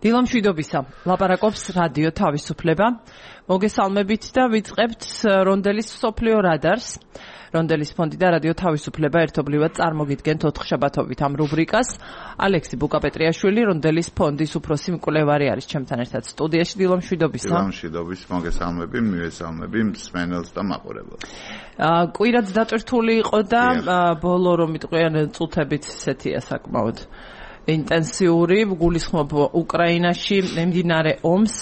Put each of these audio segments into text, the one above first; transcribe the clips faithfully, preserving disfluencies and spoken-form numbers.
დილამშვიდობისა, ლაპარაკობს რადიო თავისუფლება. მოგესალმებით და ვიწყებთ რონდელის მსოფლიო რადარს. რონდელის ფონდი და რადიო თავისუფლება ერთობლივად წარმოგიდგენთ ოთხშაბათობით ამ რუბრიკას. ალექსი ბუკაპეტრიაშვილი, რონდელის ფონდის უფროსი მკვლევარი არის ჩემთან ერთად სტუდიაში. დილამშვიდობისა. დილამშვიდობის მოგესალმები, მივესალმები მსმენელს და მაყურებელს. კვირაც დატვირთული იყო და ბოლო რომ მიტყვიან წუთებით ისეთია საკმაოდ ინტენსიური, გულისხმობ უკრაინაში მიმდინარე ომს.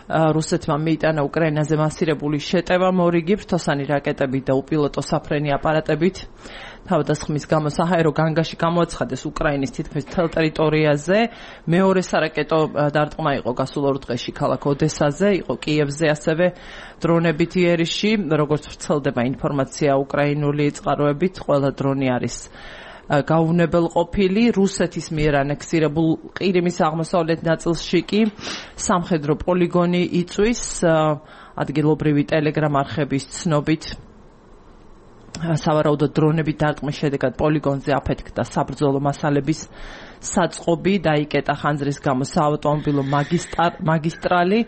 რუსეთმა მიიტანა უკრაინაზე მასირებული შეტევა მორიგი ფრთოსანი რაკეტებით და უპილოტო საფრენი აპარატებით. თავდასხმის გამო საჰაერო განგაში გამოაცხადეს უკრაინის თითქმის მთელ ტერიტორიაზე. მეორე სარაკეტო დარტყმა იყო გასულ ორ დღეში ქალაქ ოდესაზე, იყო კიევზე, ასევე დრონებით იერიში. როგორც ვრცელდება ინფორმაცია უკრაინული წყაროებით, ყველა დრონი არის გაუნებელყოფილი. რუსეთის მიერ ანექსირებულ ყირიმის აღმოსავლეთ ნაწილში კი სამხედრო პოლიგონი იწვის. ადგილობრივი ტელეგრამ არხების ცნობით სავარაუდოდ დრონებით დარტყმის შედეგად პოლიგონზე აფეთქდა საბრძოლო მასალების საწყობი, დაიკეტა ხანძრის გამო საავტომობილო მაგისტრალი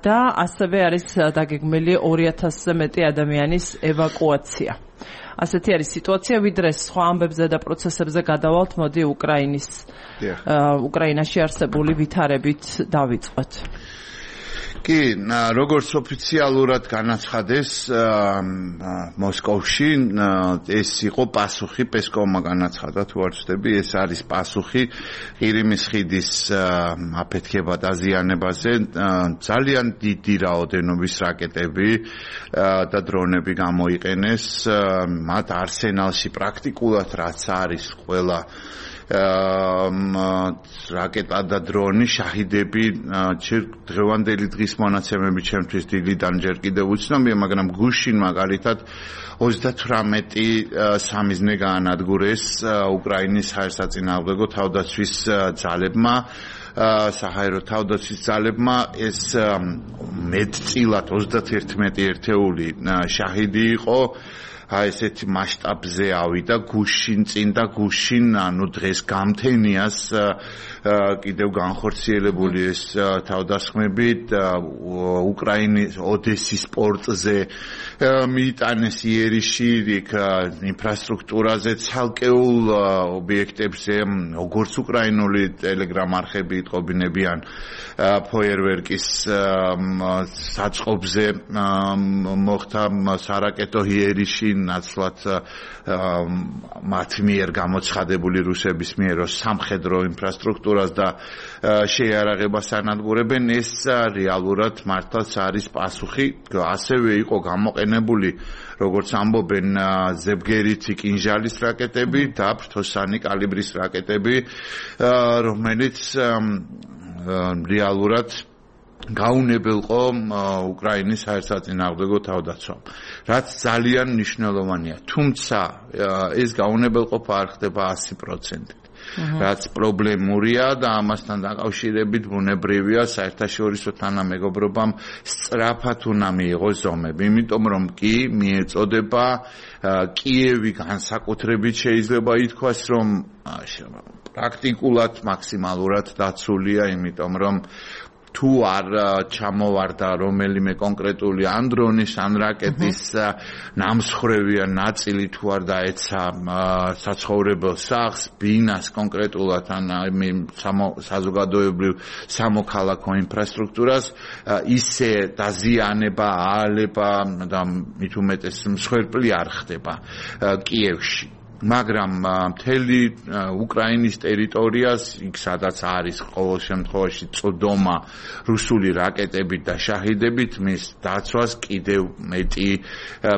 და ასევე არის დაგეგმილი ორი ათასზე მეტი ადამიანის ევაკუაცია. ასეთი არის სიტუაცია, ვიდრე სხვა ამბებზე და პროცესებზე გადავალთ, მოდი უკრაინის უკრაინაში არსებული ვითარებით დავიწყოთ. კი, როგორც ოფიციალურად განაცხადეს მოსკოვში, ეს იყო პასუხი, პესკოვმა განაცხადა, თუ არ ვცდები, ეს არის პასუხი ყირიმის ხიდის აფეთქება დაზიანებაზე. ძალიან დიდი რაოდენობის რაკეტები და დრონები გამოიყენეს მათ არსენალში პრაქტიკულად, რაც არის ყველა რაკეტა და დრონი, შაჰიდები, დღევანდელი დღის მონაცემები ჩემთვის დილიდან ჯერ კიდევ უცნობია, მაგრამ გუშინ მაგალითად ოცდათვრამეტი სამიზნე გაანადგურეს უკრაინის საერთაშორისო თავდაცვის ძალებმა. საჰაერო თავდაცვის ძალებმა ეს მეტწილად ოცდაათერთმეტი ერთეული შაჰიდი იყო. აი ესეთი მასშტაბზე ავიდა გუშინ წინ და გუშინ, ანუ დღეს გამთენიას კიდევ განხორციელებული ეს თავდასხმები უკრაინის ოდესის პორტზე მიიტანეს იერიში, იქ ინფრასტრუქტურაზე, ცალკეულ ობიექტებზე, როგორც უკრაინული ტელეგრამ არხები იტყობინებიან ფოიერვერკის საწყობზე მოხდა სარაკეტო იერიში, ნაცვლად მათ მიერ გამოცხადებული რუსების მიერ სამხედრო ინფრასტრუქტურას და შეიარაღებას ანადგურებენ. ეს რეალურად მართლაც არის პასუხი. ასევე იყო გამოყენებული, როგორც ამბობენ, ზებგერიცი კინჟალის რაკეტები და ფრთოსანი კალიბრის რაკეტები, რომელიც რეალურად გაუნებელყო უკრაინის საერთაშორისო თავდაცვამ, რაც ძალიან მნიშვნელოვანია. თუმცა ეს გაუნებელყოფა არ ხდება ასი პროცენტით. რაც პრობლემურია და ამასთან დაკავშირებით ბუნებრივია საერთაშორისო თანამეგობრობამ სწრაფად უნდა მიიღოს ზომები, იმიტომ რომ კი მიეწოდება კიევი განსაკუთრებით შეიძლება ითქვას, რომ პრაქტიკულად მაქსიმალურად დაცულია, იმიტომ რომ თუ არ ჩამოვარდა რომელიმე კონკრეტული ან დრონის ან რაკეტის ნამსხვრევი ნაწილი, თუ არ დაეცა საცხოვრებელ სახლს, ბინას კონკრეტულად ან საზოგადოებრივ სამოქალაქო ინფრასტრუქტურას, ისე დაზიანება, აალება და მით უმეტეს მსხვერპლი არ ხდება კიევში. მაგრამ მთელი უკრაინის ტერიტორიას, იქ სადაც არის ყოველ შემთხვევაში წოდომა რუსული რაკეტებით და შაჰიდებით, მის დაცვას კიდევ მეტი,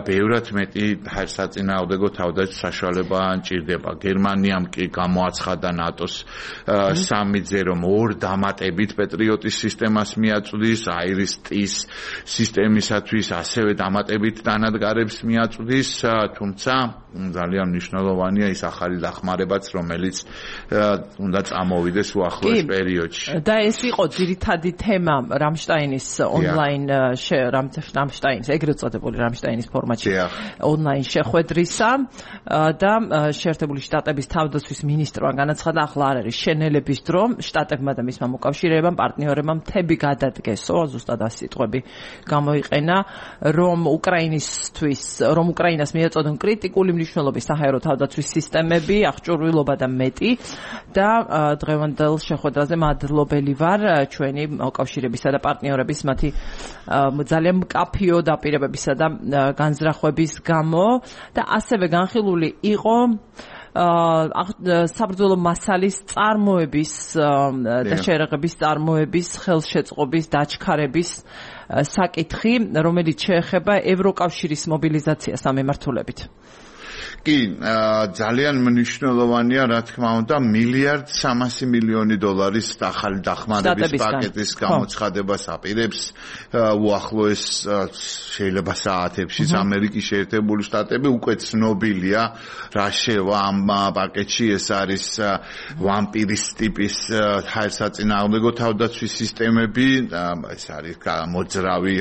ბევრად მეტი საერთაშორისო თავდაცვის საშუალება ჭირდება. გერმანიამ კი გამოაცხადა ნატოს სამიტზე, რომ ორ დამატებით პეტრიოტის სისტემას მიაწვდის, აირის-ტის სისტემისათვის ასევე დამატებით დანადგარებს მიაწვდის, თუმცა ძალიან მნიშვნელოვანია მნიშვნელოვანია ის ახალი დახმარებაც, რომელიც უნდა წამოვიდეს უახლოეს პერიოდში. და ეს იყო ძირითადი თემა რამშტაინის ონლაინ რამშტაინის ეგრეთ წოდებული რამშტაინის ფორმატში ონლაინ შეხვედრისა და შეერთებული შტატების თავდაცვის მინისტრმა განაცხადა, ახლა არ არის შენელების დრო, შტატებმა და მისმა მოკავშირეებამ, პარტნიორებმა მთები გადადგესო, ზუსტად ასეთი სიტყვები გამოიყენა, რომ უკრაინისთვის, რომ უკრაინას მიეწოდონ კრიტიკული მნიშვნელობის საჰაერო თავდაცვის სისტემები, აღჭურვილობა და მეტი და დღევანდელ შეხვედრაზე მადლობელი ვარ ჩვენი მოკავშირეებისა და პარტნიორების მათი ძალიან მკაფიო დაპირებებისა და განზრახვების გამო და ასევე განხილული იყო საბრძოლო მასალის წარმოების და შერეღების წარმოების ხელშეწყობის დაჩქარების საკითხი, რომელიც შეეხება ევროკავშირის მობილიზაციას ამ მიმართულებით. კი, ძალიან მნიშვნელოვანია, რა თქმა უნდა, მილიარდ სამასი მილიონი დოლარის ახალი დახმარების პაკეტის გამოცხადებას აპირებს უახლოეს შეიძლება საათებში ამერიკის შეერთებული შტატები. უკვე ცნობილია რა შევა ამ პაკეტში, ეს არის ვამპირის ტიპის ჰაერსაწინააღმდეგო თავდაცვის სისტემები, ეს არის მოძრავი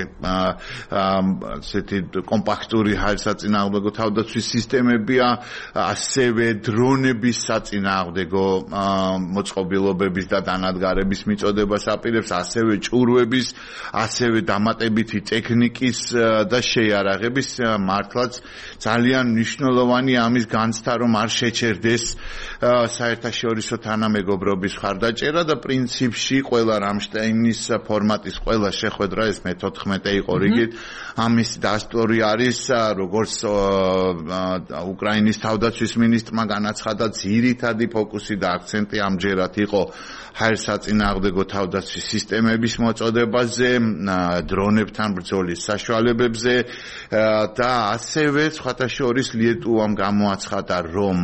ასეთი კომპაქტური ჰაერსაწინააღმდეგო თავდაცვის სისტემები, ასევე დრონების საწინააღმდეგო მოწყობილობების და დანადგარების მიწოდებას აპირებს, ასევე ჭურვების, ასევე დამატებითი ტექნიკის და შეიარაღების. მართლაც ძალიან მნიშვნელოვანია ამის განცდა, რომ არ შეჩერდეს საერთაშორისო თანამეგობრობის მხარდაჭერა და პრინციპში ყველა რამშტაინის ფორმატის ყველა შეხვედრა, ეს მეთოთხმეტე იყო რიგით, ამის დასტური არის, როგორც უკრაინის თავდაცვის მინისტრმა განაცხადა, ძირითადი ფოკუსი და აქცენტი ამჯერად იყო ჰაერსაწინააღმდეგო თავდაცვის სისტემების მოწოდებაზე, დრონებთან ბრძოლის საშუალებებზე და ასევე სხვათა შორის ლიეტუვამ გამოაცხადა, რომ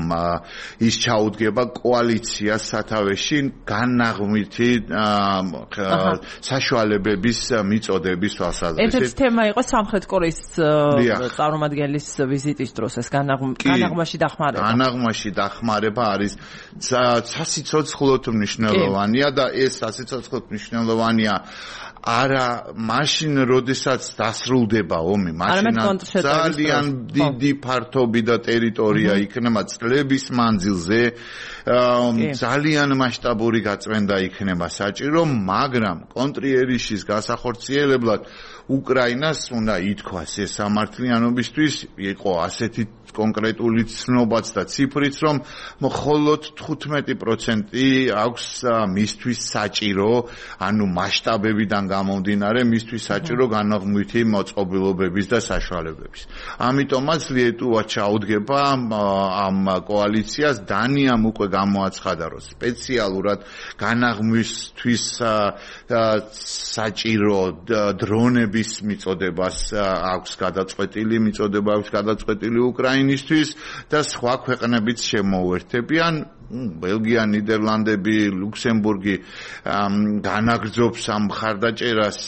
ის ჩაუდგება კოალიციას სათავეში განაღმვითი საშუალებების მიწოდების თვალსაზრისით. ერთ-ერთი თემა იყო სამხრეთ კორეის წარმომადგენლის ვიზიტის დროს ეს განაღმაში დახმარება. განაღმაში დახმარება არის სასიცოცხლოდ მნიშვნელოვანია და ეს სასიცოცხლოდ მნიშვნელოვანია არა მაშინ, როდესაც დასრულდება ომი, მაშინ ძალიან დიდი ფართობი და ტერიტორია იქნება წლების მანძილზე, ძალიან მასშტაბური გაწმენდა იქნება საჭირო, მაგრამ კონტრიერიშის გასახორციელებლად უკრაინას უნდა ითქვას ეს სამართლიანობისთვის იყო ასეთი კონკრეტული ცნობაც და ციფრიც, რომ მხოლოდ თხუთმეტი პროცენტი აქვს მისთვის საჭირო, ანუ მასშტაბებიდან გამომდინარე, მისთვის საჭირო განაღმვითი მოწყობილობების და საშუალებების. ამიტომაც ლიეტუვა ჩაუდგება ამ კოალიციას. დანიამ უკვე გამოაცხადა, რომ სპეციალურად განაღმვისთვის საჭირო დრონების მიწოდებას აქვს გადაწყვეტილი, მიწოდება აქვს გადაწყვეტილი უკრაინისთვის და სხვა ქვეყნებიც შემოუერთებიან. ბელგია, ნიდერლანდები, ლუქსემბურგი განაგრძობს ამ მხარდაჭერას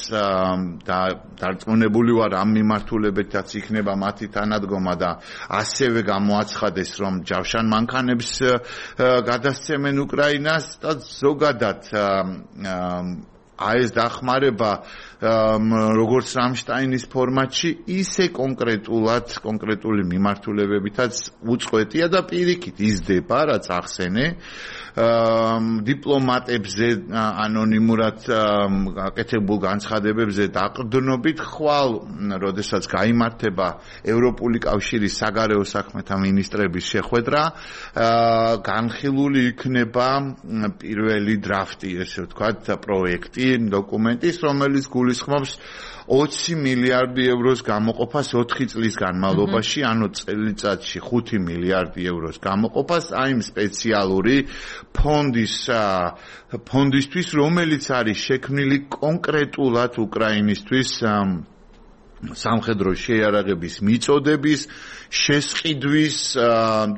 და დარწმუნებული ვარ ამ მიმართულებითაც იქნება მათი თანადგომა და ასევე გამოაცხადეს, რომ ჯავშან მანქანებს გადასცემენ უკრაინას და ზოგადად ეს დახმარება როგორც რამშტაინის ფორმატში, ისე კონკრეტულად, კონკრეტული მიმართულებებითაც უწყვეტია და პირიქით იზრდება, რაც ახსენე. დიპლომატებზე ანონიმურად გაკეთებულ განცხადებებზე დაყრდნობით ხვალ, როდესაც გაიმართება ევროპული კავშირის საგარეო საქმეთა მინისტრების შეხვედრა, განხილული იქნება პირველი დრაფტი, ესე ვთქვათ, პროექტი, დოკუმენტის, რომელიც გულისხმობს ოცი მილიარდი ევროს გამოყოფას ოთხი წლის განმავლობაში, ანუ წელიწადში ხუთი მილიარდი ევროს გამოყოფას აი იმ სპეციალური ფონდის ფონდისთვის, რომელიც არის შექმნილი კონკრეტულად უკრაინისთვის სამხედრო შეიარაღების მიწოდების შესყიდვის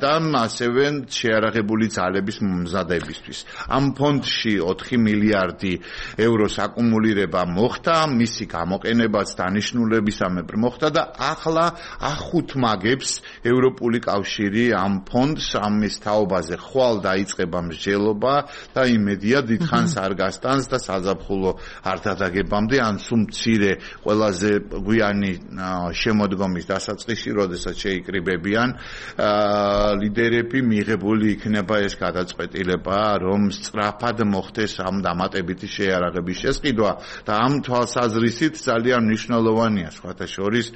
და ასევე შეიარაღებული ძალების მომზადებისთვის. ამ ფონდში ოთხი მილიარდი ევროს აკუმულირება მოხდა, მისი გამოყენებაც დანიშნულებისამებრ მოხდა და ახლა ახუთმაგებს ევროპული კავშირი ამ ფონდს, ამის თაობაზე ხვალ დაიწყება მსჯელობა და იმედია დიდხანს არ გასტანს და საზაფხულო არ დადაგებამდე ან სულ მცირე ყველაზე გვიანი შემოდგომის დასაწყისში, როდესაც შეიკრიბებიან ლიდერები, მიღებული იქნება ეს გადაწყვეტილება, რომ სწრაფად მოხდეს ამ დამატებითი შეიარაღების შესყიდვა და ამ თვალსაზრისით ძალიან მნიშვნელოვანია სხვათა შორის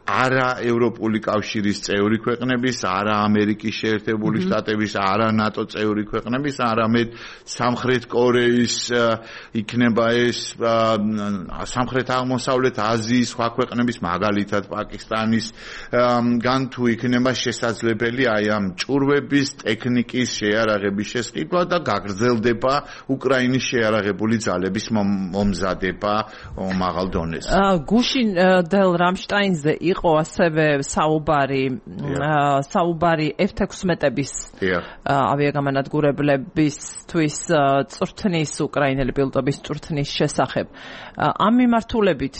არა ევროპული კავშირის წევრი ქვეყნების, არა ამერიკის შეერთებული შტატების, არა ნატო წევრი ქვეყნების, არამედ სამხრეთ კორეის იქნება ეს სამხრეთ აღმოსავლეთ აზიის სხვა ქვეყნების მაგალითად პაკისტანის გან თუ იქნება შესაძლებელი აი ამ ჭურვების ტექნიკის შეიარაღების შესყიდვა და გაგრძელდება უკრაინის შეიარაღებული ძალების მომზადება მაღალ დონეზე. გუშინ დელ რამშტაინზე იყო ასევე საუბარი საუბარი ეფ თექვსმეტების ავიაგამანადგურებლებისთვის წვრთნის უკრაინელი პილოტების წვრთნის შესახებ. ამ მიმართულებით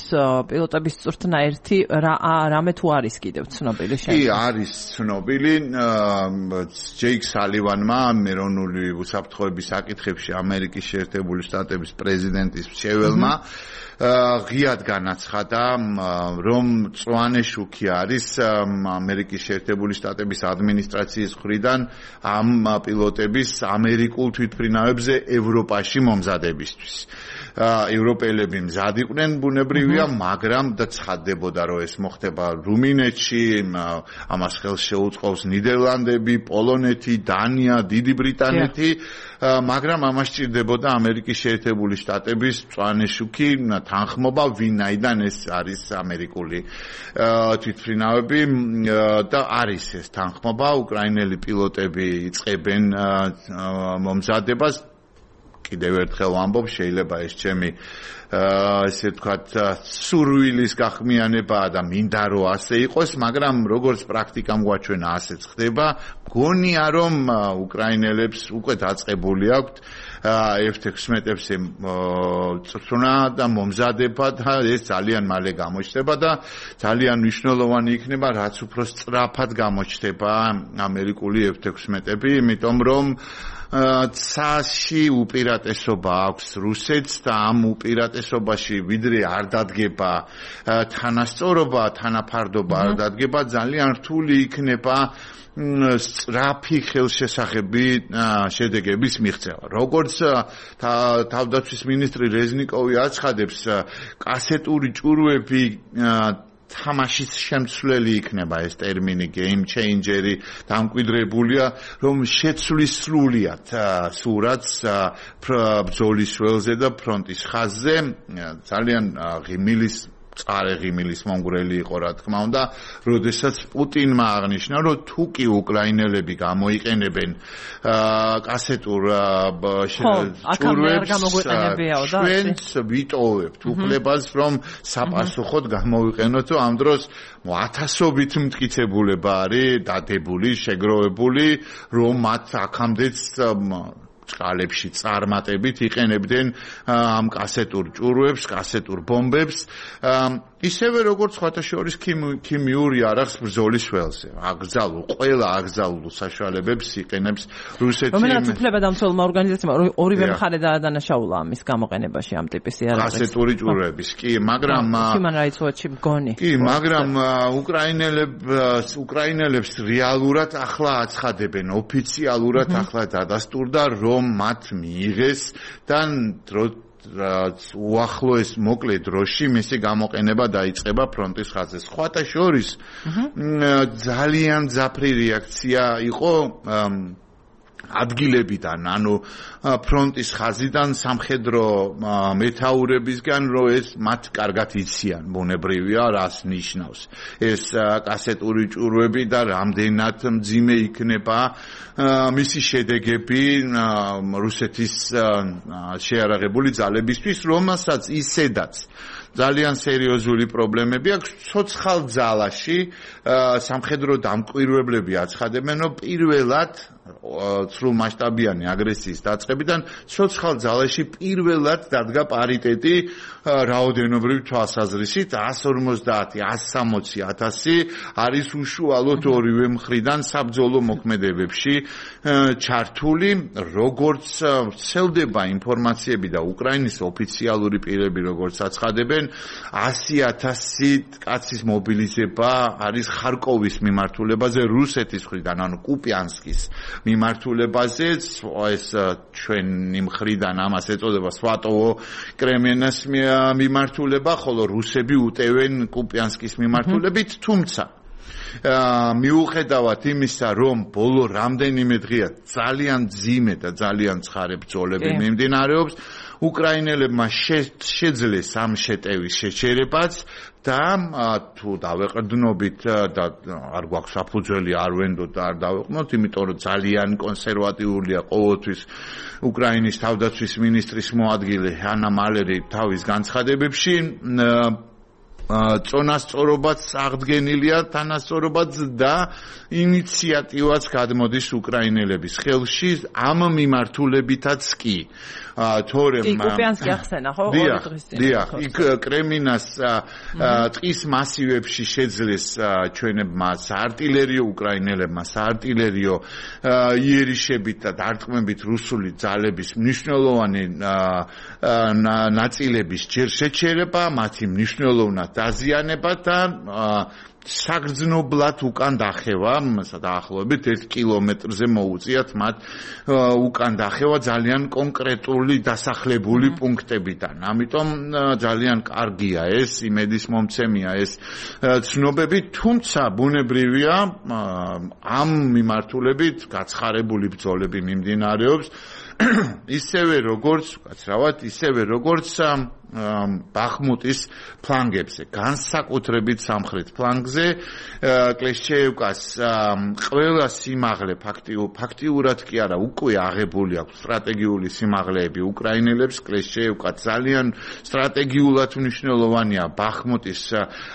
პილოტების წვრთნა ერთი რამე თუ არის კიდევ ცნობილი შეიძლება? კი, არის ცნობილი. ჯეიკ სალივანმა ეროვნული უსაფრთხოების საკითხებში ამერიკის შეერთებული შტატების პრეზიდენტის მრჩეველმა ღიად განაცხადა, რომ მწვანე შუქი არის ამერიკის შეერთებული შტატების ადმინისტრაციის მხრიდან ამ პილოტების ამერიკულ თვითმფრინავებზე ევროპაში მომზადებისთვის. ევროპელები მზად იყვნენ ბუნებრივია, მაგრამ და ცხადდებოდა, რომ ეს მოხდება რუმინეთში, ამას ხელს შეუწყობს ნიდერლანდები, პოლონეთი, დანია, დიდი ბრიტანეთი, მაგრამ ამას სჭირდებოდა ამერიკის შეერთებული შტატების მწვანე შუქი თანხმობა, ვინაიდან ეს არის ამერიკული თვითმფრინავები და არის ეს თანხმობა, უკრაინელი პილოტები იწყებენ მომზადებას. კიდევ ერთხელ ვამბობ, შეიძლება ეს ჩემი ესე ვთქვათ სურვილის გახმიანებაა და მინდა რომ ასე იყოს, მაგრამ როგორც პრაქტიკამ გვაჩვენა ასეც ხდება. გონია რომ უკრაინელებს უკვე დაწყებული აქვთ ეფ თექვსმეტებზე წვრთნა და მომზადება და ეს ძალიან მალე გამოჩნდება და ძალიან მნიშვნელოვანი იქნება, რაც უფრო სწრაფად გამოჩნდება ამერიკული ეფ თექვსმეტები, იმიტომ რომ ცაში უპირატესობა აქვს რუსეთს და ამ უპირატესობაში ვიდრე არ დადგება თანასწორობა, თანაფარდობა არ დადგება, ძალიან რთული იქნება სწრაფი ხელშესახები შედეგების მიღწევა. როგორც თავდაცვის მინისტრი რეზნიკოვი აცხადებს, კასეტური ჭურვები თამაშის შემცვლელი იქნება ეს ტერმინი game changer-ი დამკვიდრებულია, რომ შეცვლის სრულიად სურათს ბრძოლის ველზე და ფრონტის ხაზზე. ძალიან ღიმილის წარე ღიმილის მომგვრელი იყო, რა თქმა უნდა, როდესაც პუტინმა აღნიშნა, რომ თუ კი უკრაინელები გამოიყენებენ კასეტურ ჭურვებს, ჩვენც ვიტოვებთ უფლებას, რომ საპასუხოდ გამოვიყენოთ, ამ დროს ათასობით მტკიცებულება არის დადებული, შეგროვებული, რომ მათ აქამდეც წყალებში წარმატებით იყენებდნენ ამ კასეტურ ჭურვებს, კასეტურ ბომბებს, ისევე როგორც სხვათა შორის ქიმიურ იარაღს ბრძოლის ველზე. აკრძალულ, ყველა აკრძალულ საშუალებებს იყენებს რუსეთი. რომელაც უფლებადამცველმა ორგანიზაციამ ორივე მხარე დაადანაშაულა ამის გამოყენებაში ამ ტიპის იარაღებს. კასეტური ჭურვების, კი, მაგრამ Human Rights Watch-ი მგონი. კი, მაგრამ უკრაინელებს უკრაინელებს რეალურად ახლა აცხადებენ, ოფიციალურად ახლა დადასტურდა, რომ მათ მიიღეს და უახლოეს მოკლე დროში მისი გამოყენება დაიწყება ფრონტის ხაზზე. სხვათა შორის ძალიან ძაფრი რეაქცია იყო ადგილებიდან, ანუ ფრონტის ხაზიდან, სამხედრო მეთაურებისგან, რომ ეს მათ კარგად იციან, ბუნებრივია, რას ნიშნავს ეს კასეტური ჭურვები და რამდენად მძიმე იქნება მისი შედეგები რუსეთის შეიარაღებული ძალებისთვის, რომელსაც ისედაც ძალიან სერიოზული პრობლემები აქვს ცოცხალ ძალაში სამხედრო დამკვირვებლები აცხადებენ რომ პირველად სრულ მასშტაბიანი აგრესიის დაწყებიდან ცოცხალ ძალაში პირველად დადგა პარიტეტი რაოდენობრივ თვალსაზრისით one fifty one sixty ათასი არის უშუალოდ ორივე მხრიდან საბრძოლო მოქმედებებში ჩართული როგორც ცელდება ინფორმაციები და უკრაინის ოფიციალური პირები როგორც აცხადებენ one hundred thousand კაცის მობილიზება არის ხარკოვის მიმართულებაზე რუსეთის მხრიდან ანუ კუპიანსკის მიმართულებაზე ეს ჩვენი მხრიდან ამას ეწოდება სვატოვო კრემენას მიმართულება ხოლო რუსები უტევენ კუპიანსკის მიმართულებით თუმცა მიუხედავად იმისა რომ ბოლო რამდენიმე დღეა ძალიან ძიმე და ძალიან ცხარე ბრძოლები მიმდინარეობს უკრაინელებმა შეძლეს ამ შეტევის შეჩერებაც და თუ დავეყრდნობით და არ გვაქვს საფუძველი არ ვენდოთ და არ დავეყნოთ იმიტომ რომ ძალიან კონსერვატიულია ყოველთვის უკრაინის თავდაცვის მინისტრის მოადგილე ანა მალერი თავის განცხადებებში წონასწორობაც აღდგენილია თანასწორობაც და ინიციატივაც გადმოდის უკრაინელების ხელში ამ მიმართულებითაც კი თორემ კუპიანსკი ახსენა ხო ორი დღის წინ დიახ იქ კრემინას ტყის მასივებში შეძლეს ჩვენებმა საარტილერიო უკრაინელებმა საარტილერიო იერიშებით და დარტყმებით რუსული ძალების მნიშვნელოვანი ნაწილების ჯერ შეჩერება მათი მნიშვნელოვნად დაზიანება და საგრძნობლად უკან დახევა, დაახლოებით ერთ კილომეტრზე მოუწიათ მათ უკან დახევა ძალიან კონკრეტული დასახლებული პუნქტებიდან. ამიტომ ძალიან კარგია ეს, იმედის მომცემია ეს ცნობები, თუმცა ბუნებრივია ამ მიმართულებით გაცხარებული ბრძოლები მიმდინარეობს ისევე როგორც, გაცრავად, ისევე როგორც ბახმუტის ფლანგებზე, განსაკუთრებით სამხრეთ ფლანგზე, კლეშჩეევკას ყველა სიმაღლე ფაქტიურად კი არა, უკვე აღებული აქვს სტრატეგიული სიმაღლეები უკრაინელებს, კლეშჩეევკა ძალიან სტრატეგიულად მნიშვნელოვანია ბახმუტის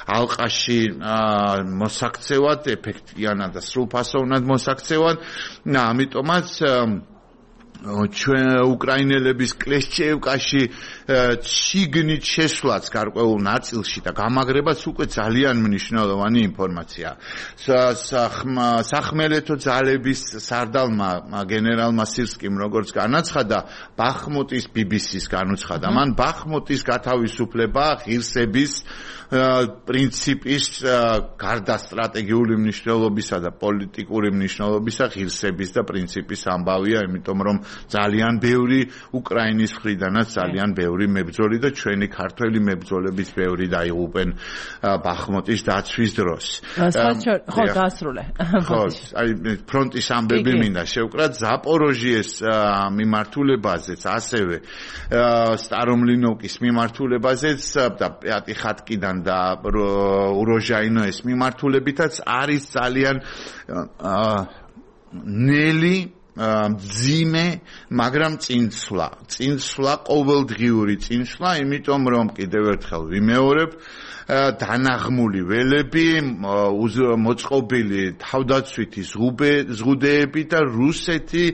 ალყაში მოსაქცევად, ეფექტიანად და სრულფასოვნად მოსაქცევად, ამიტომაც ჩვენ უკრაინელების კლეშჩეევკაში შიგნით შესვლაც გარკვეულ ნაწილში და გამაგრებაც უკვე ძალიან მნიშვნელოვანი ინფორმაცია. სახმელეთო ძალების სარდალმა გენერალმა სირსკიმ როგორც განაცხადა, ბახმუტის ბი ბი სის განუცხადა, მან ბახმუტის გათავისუფლება ღირსების პრინციპის გარდა სტრატეგიული მნიშვნელობისა და პოლიტიკური მნიშვნელობისა ღირსების და პრინციპის ამბავია, იმიტომ რომ ძალიან ბევრი უკრაინის მხრიდანაც ძალიან ბევრი მებრძოლი და ჩვენი ქართველი მებრძოლების ბევრი დაიღუპენ ბახმუტის დაცვის დროს. ხო, დაასრულე. ხო, აი ფრონტის ამბები მინდა შევკრათ ზაპოროჟიეს მიმართულებაზეც, ასევე სტარომლინოვკის მიმართულებაზეც და პიატიხატკიდან და უროჟაინოეს მიმართულებითაც არის ძალიან ნელი ძიმე, მაგრამ წინსვლა, წინსვლა, ყოველდღიური წინსვლა, იმიტომ რომ კიდევ ერთხელ ვიმეორებ, დანაღმული ველები, მოწყობილი თავდაცვითი ზღუდეები და რუსეთი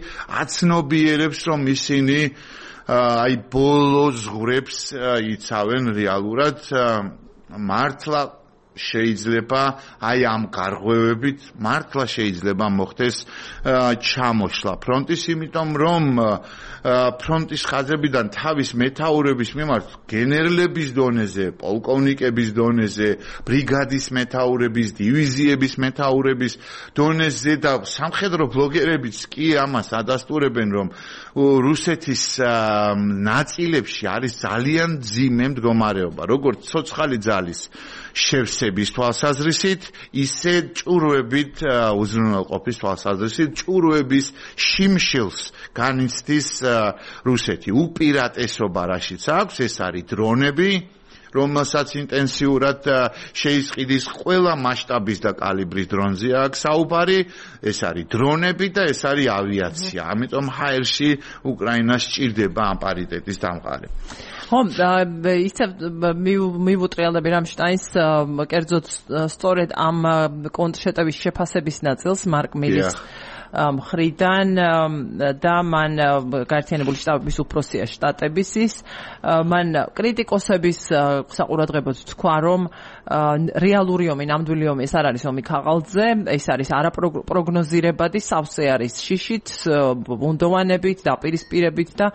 აცნობიერებს, რომ ისინი აი ბოლო ზღვრებს იცავენ რეალურად მართლა შეიძლება აი ამ გარღვევებით მართლა შეიძლება მოხდეს ჩამოშლა ფრონტის, იმიტომ რომ ფრონტის ხაზებიდან თავის მეთაურების მიმართ გენერლების დონეზე, პოლკოვნიკების დონეზე, ბრიგადის მეთაურების, დივიზიების მეთაურების დონეზე და სამხედრო ბლოგერებიც კი ამას ადასტურებენ, რომ რუსეთის ნაწილებში არის ძალიან ძიმე მდგომარეობა, როგორც ცოცხალი ძალის შევსების თვალსაზრისით, ისე ჭურვებით უზრუნველყოფის თვალსაზრისით, ჭურვების შიმშილს განიცდის რუსეთი. უპირატესობა რაშიც აქვს, ეს არის დრონები, რომელსაც ინტენსიურად შეისყიდის ყველა მასშტაბის და კალიბრის დრონზია აქვს საუბარი, ეს არის დრონები და ეს არის ავიაცია. ამიტომ ჰაერში უკრაინას სჭირდება ამ პარიტეტის დამყარება. ხო, ისე მივუტრიალდები რამშტაინს კერძოდ სწორედ ამ კონტრშეტევის შეფასების ნაწილს მარკ მილის მხრიდან და მან გაერთიანებული შტატების უფროსია შტატების ის მან კრიტიკოსების საყურადღებოდ თქვა რომ რეალური ომი ნამდვილი ომი ეს არ არის ომი ქაღალდზე ეს არის არაპროგნოზირებადი სავსე არის შიშით ბუნდოვანებით დაპირისპირებით და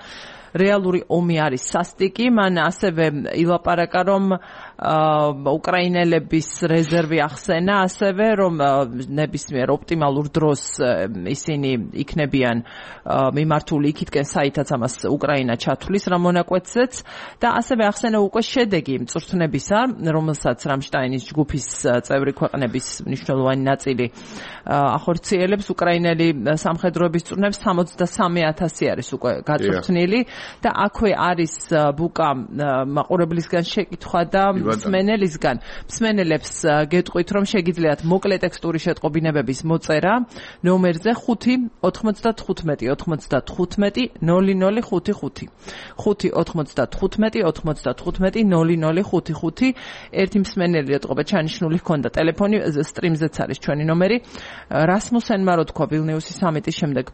რეალური ომი არის სასტიკი მან ასევე ილაპარაკა რომ უკრაინელების რეზერვი ახსენა ასევე რომ ნებისმიერ ოპტიმალურ დროს ისინი იქნებიან მიმართული იქითკენ საითაც ამას უკრაინა ჩათვლის რა მონაკვეთზეც და ასევე ახსენა უკვე შედეგი მწვრთნებისა რომელსაც რამშტაინის ჯგუფის წევრი ქვეყნების მნიშვნელოვანი ნაწილი ახორციელებს უკრაინელი სამხედროების წვრთნებს სამოცდასამი ათასი არის უკვე გაწვრთნილი და აქვე არის ბუკა მაყურებლისგან შეკითხვა და მსმენელისგან მსმენელებს გეტყვით რომ შეგიძლიათ მოკლე ტექსტური შეტყობინებების მოწერა ნომერზე ხუთი ოთხმოცდათხუთმეტი ოცდათხუთმეტი ნოლი ნოლი ხუთი ხუთი ხუთი ოთხმოცდათხუთმეტი ოცდათხუთმეტი ნოლი ნოლი ხუთი ხუთი ერთი მსმენელი ეტყობა ჩანიშნული ჰქონდა ტელეფონი სტრიმზეც არის ჩვენი ნომერი რასმუსენმა რო თქვა ვილნიუსის სამიტის შემდეგ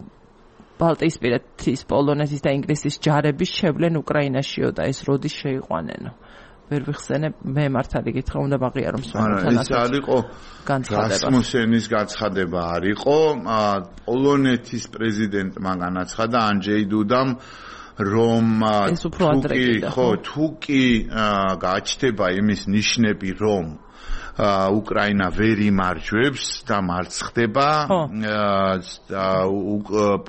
ბალტიისპირეთის პოლონეთის და ინგლისის ჯარების შევლენ უკრაინაშიო და ეს როდის შეიყვანენო ვერ ვიხსენებ მე მართალი გითხრა უნდა ვაღიაროს მაგრამ ეს არისო რასმუსენის გაცხადება არისო პოლონეთის პრეზიდენტმა განაცხადა ანჯეი დუდამ რომ თუკი ხო თუკი გაჩნდება იმის ნიშნები რომ უკრაინა ვერ იმარჯვებს და მარცხდება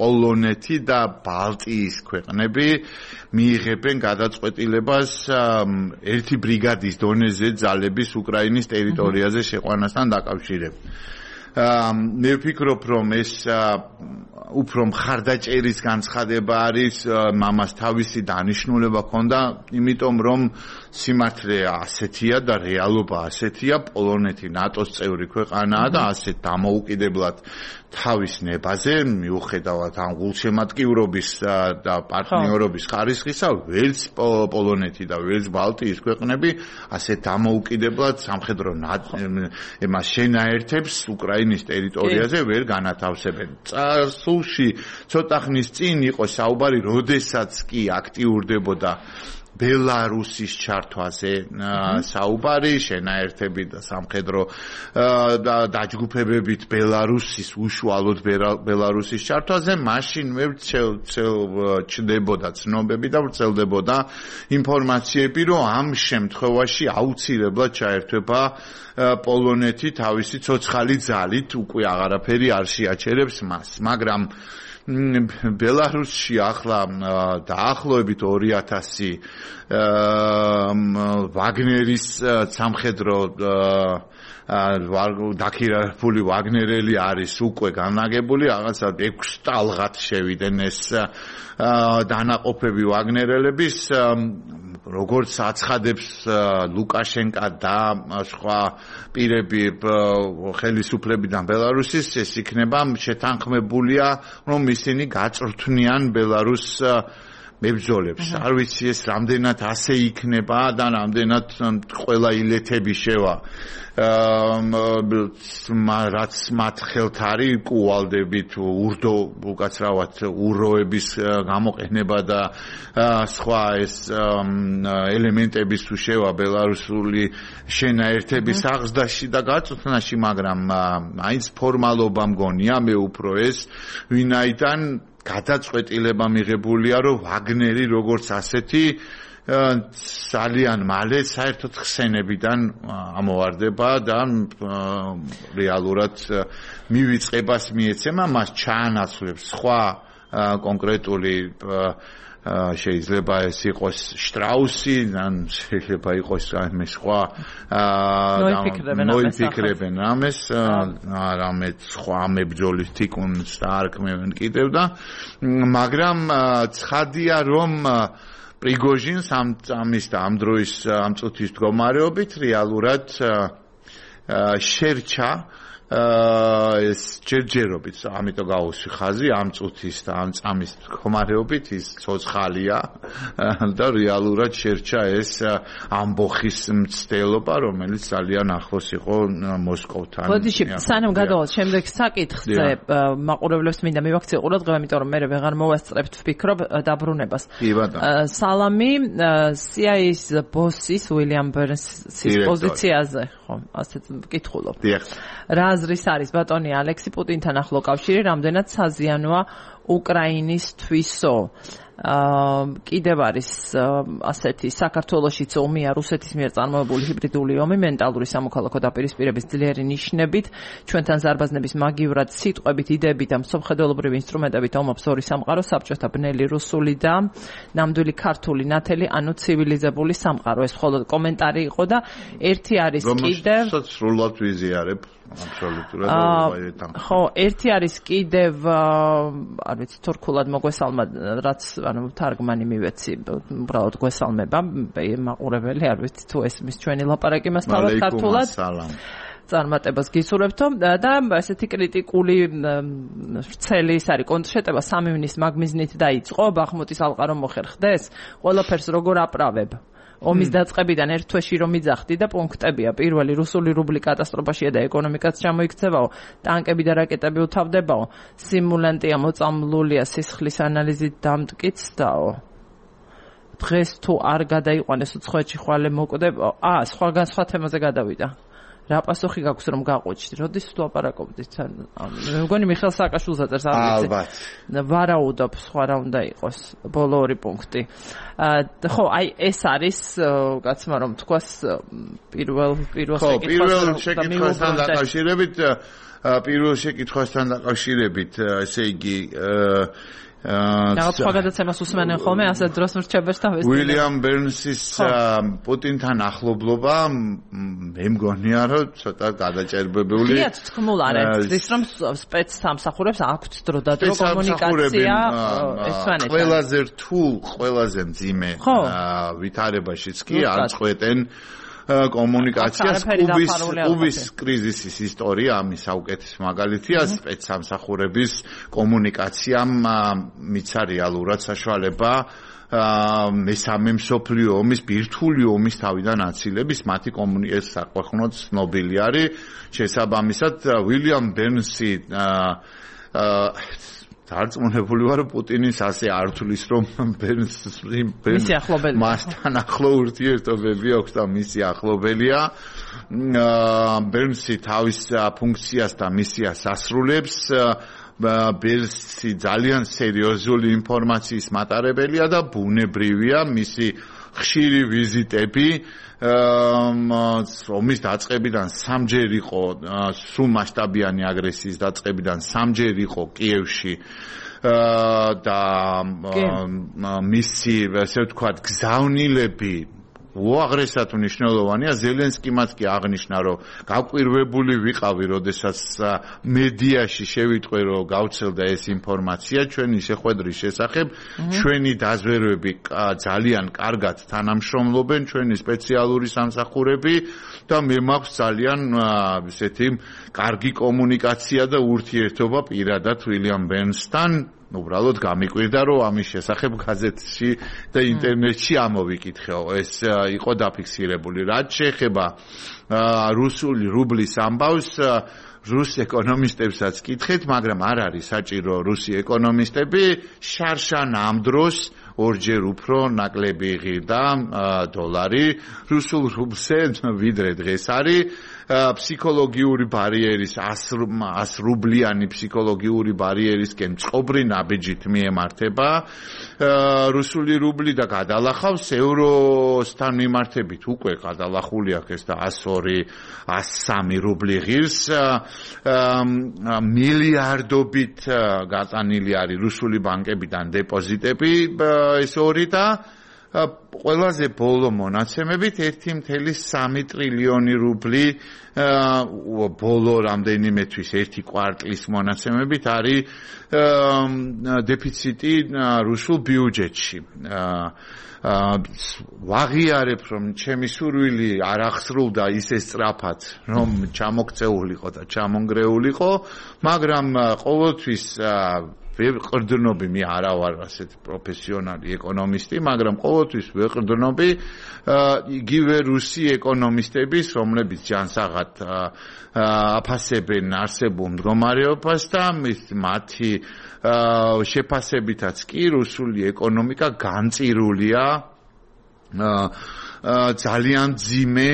პოლონეთი და ბალტიის ქვეყნები მიიღებენ გადაწყვეტილებას ერთი ბრიგადის დონეზე ძალების უკრაინის ტერიტორიაზე შეყვანასთან დაკავშირებით. მე ვფიქრობ რომ ეს უფრო მხარდაჭერის განცხადება არის მამას თავისი დანიშნულება ჰქონდა იმიტომ რომ სიმართლე ასეთია და რეალობა ასეთია პოლონეთი ნატოს წევრი ქვეყანაა და ასეთ დამოუკიდებლად თავის ნებაზე მიუხედავად ამ გულშემატკივრობის და პარტნიორობის ხარისხისა ვერც პოლონეთი და ვერც ბალტიის ქვეყნები ასეთ დამოუკიდებლად სამხედრო ემას შენაერთებს უკრაინის ტერიტორიაზე ვერ განათავსებენ. წარსულში ცოტა ხნის წინ იყო საუბარი როდესაც კი აქტიურდებოდა ბელარუსის ჩართვაზე საუბარი შენაერთებით და სამხედრო დაჯგუფებებით ბელარუსის უშუალოდ ბელარუსის ჩართვაზე მაშინ მე ჩნდებოდა ცნობები და ვრცელდებოდა ინფორმაციები რომ ამ შემთხვევაში აუცილებლად ჩაერთვება პოლონეთი თავისი ცოცხალი ძალით უკვე აღარაფერი არ შეაჩერებს მას მაგრამ ბელარუსში ახლა დაახლოებით ორი ათასი ვაგნერის სამხედრო დაქირავებული ვაგნერელი არის უკვე განლაგებული რაღაცა ექვს ტალღად შევიდნენ ეს დანაყოფები ვაგნერელების როგორც აცხადებს ლუკაშენკა და სხვა პირები ხელისუფლებიდან ბელარუსის ეს იქნება შეთანხმებულია რომ ისინი გაწვრთნიან ბელარუს მებრძოლებს არ ვიცი ეს რამდენად ასე იქნება და რამდენად ყველა ილეთები შევა რაც მათ ხელთ არის კუვალდებით ურდო უკაცრავად უროების გამოყენება და სხვა ეს ელემენტების თუ შევა ბელარუსული შენაერთების აღზრდაში და გაწვრთნაში მაგრამ აინც ფორმალობა მგონია მე უფრო ეს ვინაიდან გადაწყვეტილება მიღებულია რომ ვაგნერი როგორც ასეთი ძალიან მალე საერთოდ ხსენებიდან ამოვარდება და რეალურად მივიწყებას მიეცემა მას ჩაანაცვლებს სხვა კონკრეტული შეიძლება ეს იყოს შტრაუსი ან შეიძლება იყოს რამე სხვა მოიფიქრებენ რამეს რამე სხვა მებრძოლის თიკუნს და არქმევენ კიდევ და მაგრამ ცხადია რომ პრიგოჟინს ამ ამის და ამ დროის ამ წუთის მდგომარეობით რეალურად შერჩა ეს ჯერჯერობით, ამიტომ გავუსვი ხაზი ამ წუთის და ამ წამის მდგომარეობით ის ცოცხალია და რეალურად შერჩა ეს ამბოხის მცდელობა, რომელიც ძალიან ახლოს იყო მოსკოვთან. ბოდიში, სანამ გადავალთ შემდეგ საკითხზე, მაყურებლებს მინდა მივაქციო ყურადღება, იმიტომ რომ მე ვეღარ მოვასწრებთ ვფიქრობ დაბრუნებას. სალამი სი აი ეის ბოსის უილიამ ბერნსის პოზიციაზე, ხო, ასეც ვკითხულობ. რა აზრის არის ბატონი ალექსი პუტინთან ახლო კავშირი, რამდენად საზიანოა უკრაინისთვისო? კიდევ არის ასეთი საქართველოშიც ომია რუსეთის მიერ წარმოებული ჰიბრიდული ომი მენტალური სამოქალაქო დაპირისპირების ძლიერი ნიშნებით, ჩვენთან ზარბაზნების მაგივრად სიტყვებით, იდეებით და მსოფლმხედველობრივი ინსტრუმენტებით ომობს ორი სამყარო, საბჭოთა ბნელი რუსული და ნამდვილი ქართული ნათელი, ანუ ცივილიზებული სამყარო. ეს მხოლოდ კომენტარი იყო და ერთი არის კიდევ სრულად ვიზიარებ აბსოლუტურად. ხო, ერთი არის კიდევ არ ვიცი თურქულად მოგვესალმა, რაც ანუ თარგმანი მივეცი, უბრალოდ გვესალმება მაყურებელი, არ ვიცი თუ ეს მის ჩვენი ლაპარაკი მას თავად ქართულად წარმატებას გისურვებთო და ესეთი კრიტიკული ვრცელი ის არის კონტრშეტევა სამი მინის მაგმიზნით დაიწყო, ბახმუტის ალყა რომ მოხერხდეს, ყველაფერს როგორ აправებ? ომის დაწყებიდან ერთ თვეში რომ იძახდი და პუნქტებია. პირველი რუსული რუბლი კატასტროფაშია და ეკონომიკაც ჩამოიქცევაო, ტანკები და რაკეტები უთავდებაო, სიმულანტია მოწამლულია სისხლის ანალიზით დამტკიცდაო. დღეს თუ არ გადაიყვანეს უცხოეთში ხვალე მოკვდება, აა სხვაგან სხვა თემაზე გადავიდა. რა პასუხი გაქვს რომ გაყვეჭდი? როდის თუ აპარაკობდით? მე მგონი მიხეილ სააკაშვილს აწერს არ ვიცი. ალბათ. ვარაუდობ, სხვა რა უნდა იყოს, ბოლო ორი პუნქტი. ხო, აი ეს არის კაცმა რომ თქვას პირველ პირველ შეკითხვას. ხო, პირველ შეკითხვასთან დაკავშირებით, პირველ შეკითხვასთან დაკავშირებით, ესე იგი რაღაც სხვა გადაცემას უსმენენ ხოლმე ასეთ დროს მრჩეველს თავის უილიამ ბერნსის პუტინთან ახლობლობა მე მგონია რომ ცოტა გადაჭერბებული. იათ თქმულ არ არის ის რომ სპეცსამსახურებს აქვთ დრო და დრო კომუნიკაცია ესვანეთ. ყველაზე რთულ, ყველაზე მძიმე ვითარებაშიც კი არ წყვეტენ კომუნიკაციას. კუბის კუბის კრიზისის ისტორია ამის საუკეთესო მაგალითია. სპეცსამსახურების კომუნიკაციამ მიცა რეალურად საშუალება მესამე მსოფლიო ომის ბირთვული ომის თავიდან აცილების. მათი კომუნიკაცია საყოველთაოდ ცნობილი არის. შესაბამისად უილიამ ბერნსი დარწმუნებული ვარ პუტინის ასე არ თulis რომ ბერნს მასთან ახლო ურთიერთობები აქვს და მისი ახლობელია. ბერნსი თავის ფუნქციას და მისიას ასრულებს. ბერნსი ძალიან სერიოზული ინფორმაციის მატარებელია და ბუნებრივია მისი ხშირი ვიზიტები ომის დაწყებიდან სამჯერ იყო სრულ მასშტაბიანი აგრესიის დაწყებიდან სამჯერ იყო კიევში და მისი ასე ვთქვათ გზავნილები უაღრესად მნიშვნელოვანია. ზელენსკიმაც კი აღნიშნა, რომ გაკვირვებული ვიყავი, როდესაც მედიაში შევიტყვე, რომ გავცელდა ეს ინფორმაცია ჩვენი შეხვედრის შესახებ. ჩვენი დაზვერვები ძალიან კარგად თანამშრომლობენ, ჩვენი სპეციალური სამსახურები და მე მაქვს ძალიან ესეთი კარგი კომუნიკაცია და ურთიერთობა პირადად უილიამ ბერნსთან. უბრალოდ გამიკვირდა რომ ამის შესახებ გაზეთში და ინტერნეტში ამოვიკითხეო. ეს იყო დაფიქსირებული. რაც შეეხება რუსული რუბლის ამბავს, რუს ეკონომისტებსაც კითხეთ, მაგრამ არ არის საჭირო რუსი ეკონომისტები შარშან ამ დროს ორჯერ უფრო ნაკლები იღირდა დოლარი რუსულ რუბლზე ვიდრე დღეს არის. ფსიქოლოგიური ბარიერის ას რუბლიანი ფსიქოლოგიური ბარიერისკენ წყობრი ნაბიჯით მიემართება რუსული რუბლი და გადალახავს ევროსთან მიმართებით უკვე გადალახული აქვს და ას ორი ას სამი რუბლი ღირს მილიარდობით გატანილი არის რუსული ბანკებიდან დეპოზიტები ეს ორი და ყველაზე ბოლო მონაცემებით ერთი კoma სამი ტრილიონი რუბლი ბოლო რამდენიმე თვის ერთი კვარტლის მონაცემებით არის დეფიციტი რუსულ ბიუჯეტში. ვაღიარებ რომ ჩემი სურვილი არ აღსრულდა ისე სწრაფად რომ ჩამოქცეულიყო და ჩამონგრეულიყო, მაგრამ ყოველთვის ვეყრდნობი, მე არა ვარ ასეთი პროფესიონალი ეკონომისტი, მაგრამ ყოველთვის ვეყრდნობი იგივე რუსი ეკონომისტების, რომლებიც ჯანსაღად აფასებენ არსებულ მდგომარეობას და მათი შეფასებითაც კი რუსული ეკონომიკა განწირულია ძალიან ძიმე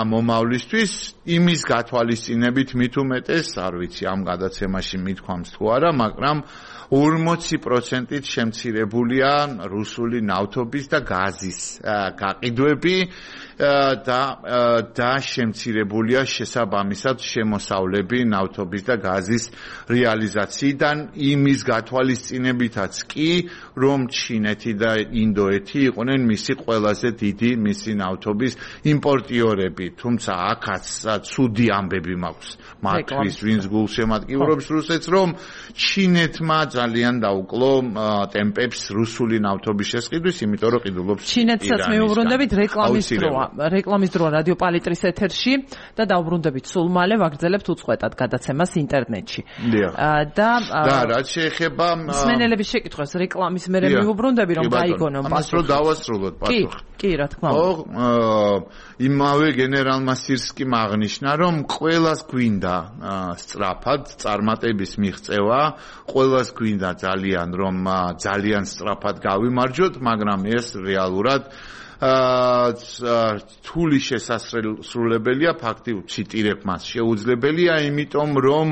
მომავლისთვის იმის გათვალისწინებით მით უმეტეს, არ ვიცი ამ გადაცემაში მithქვამს თუ არა, მაგრამ ორმოცი პროცენტით შემცირებულია რუსული ნავთობის და გაზის გაყიდვები და და შემცირებულია შესაბამისად შემოსავლები ნავთობის და გაზის რეალიზაციიდან იმის გათვალისწინებითაც კი, რომ ჩინეთი და ინდოეთი იყვნენ მისი ყველაზე დიდი მისი ნავთობის იმპორტიორები, თუმცა აქაც ცუდი ამბები მაქვს მათთვის, ვინც გულშემატკივრობს რუსეთს, რომ ჩინეთმა ძალიან დაუკლო ტემპებს რუსული ნავთობის შესყიდვის, იმიტომ რომ ყიდულობს ჩინეთსაც მეუბრუნდებით რეკლამის დროა. რეკლამის დროა რადიო პალიტრის ეთერში და დაუბრუნდებით სულ მალე ვაგრძელებთ უწყვეტად გადაცემას ინტერნეტში. და და რაც შეეხება მსმენელების შეკითხვას რეკლამის მერე მეუბრუნდები რომ გაიგონო პასუხი. ამას რომ დავასრულოთ პასუხი. კი, რა თქმა უნდა. იმავე გენერალმა სირსკიმ აღნიშნა, რომ ყველას გვინდა სწრაფად წარმატების მიღწევა, ყველას გვინდა ძალიან რომ ძალიან სწრაფად გავიმარჯვოთ, მაგრამ ეს რეალურად რთული შესასრულებელია, ფაქტიურად ციტირებ მას, შეუძლებელია, იმიტომ რომ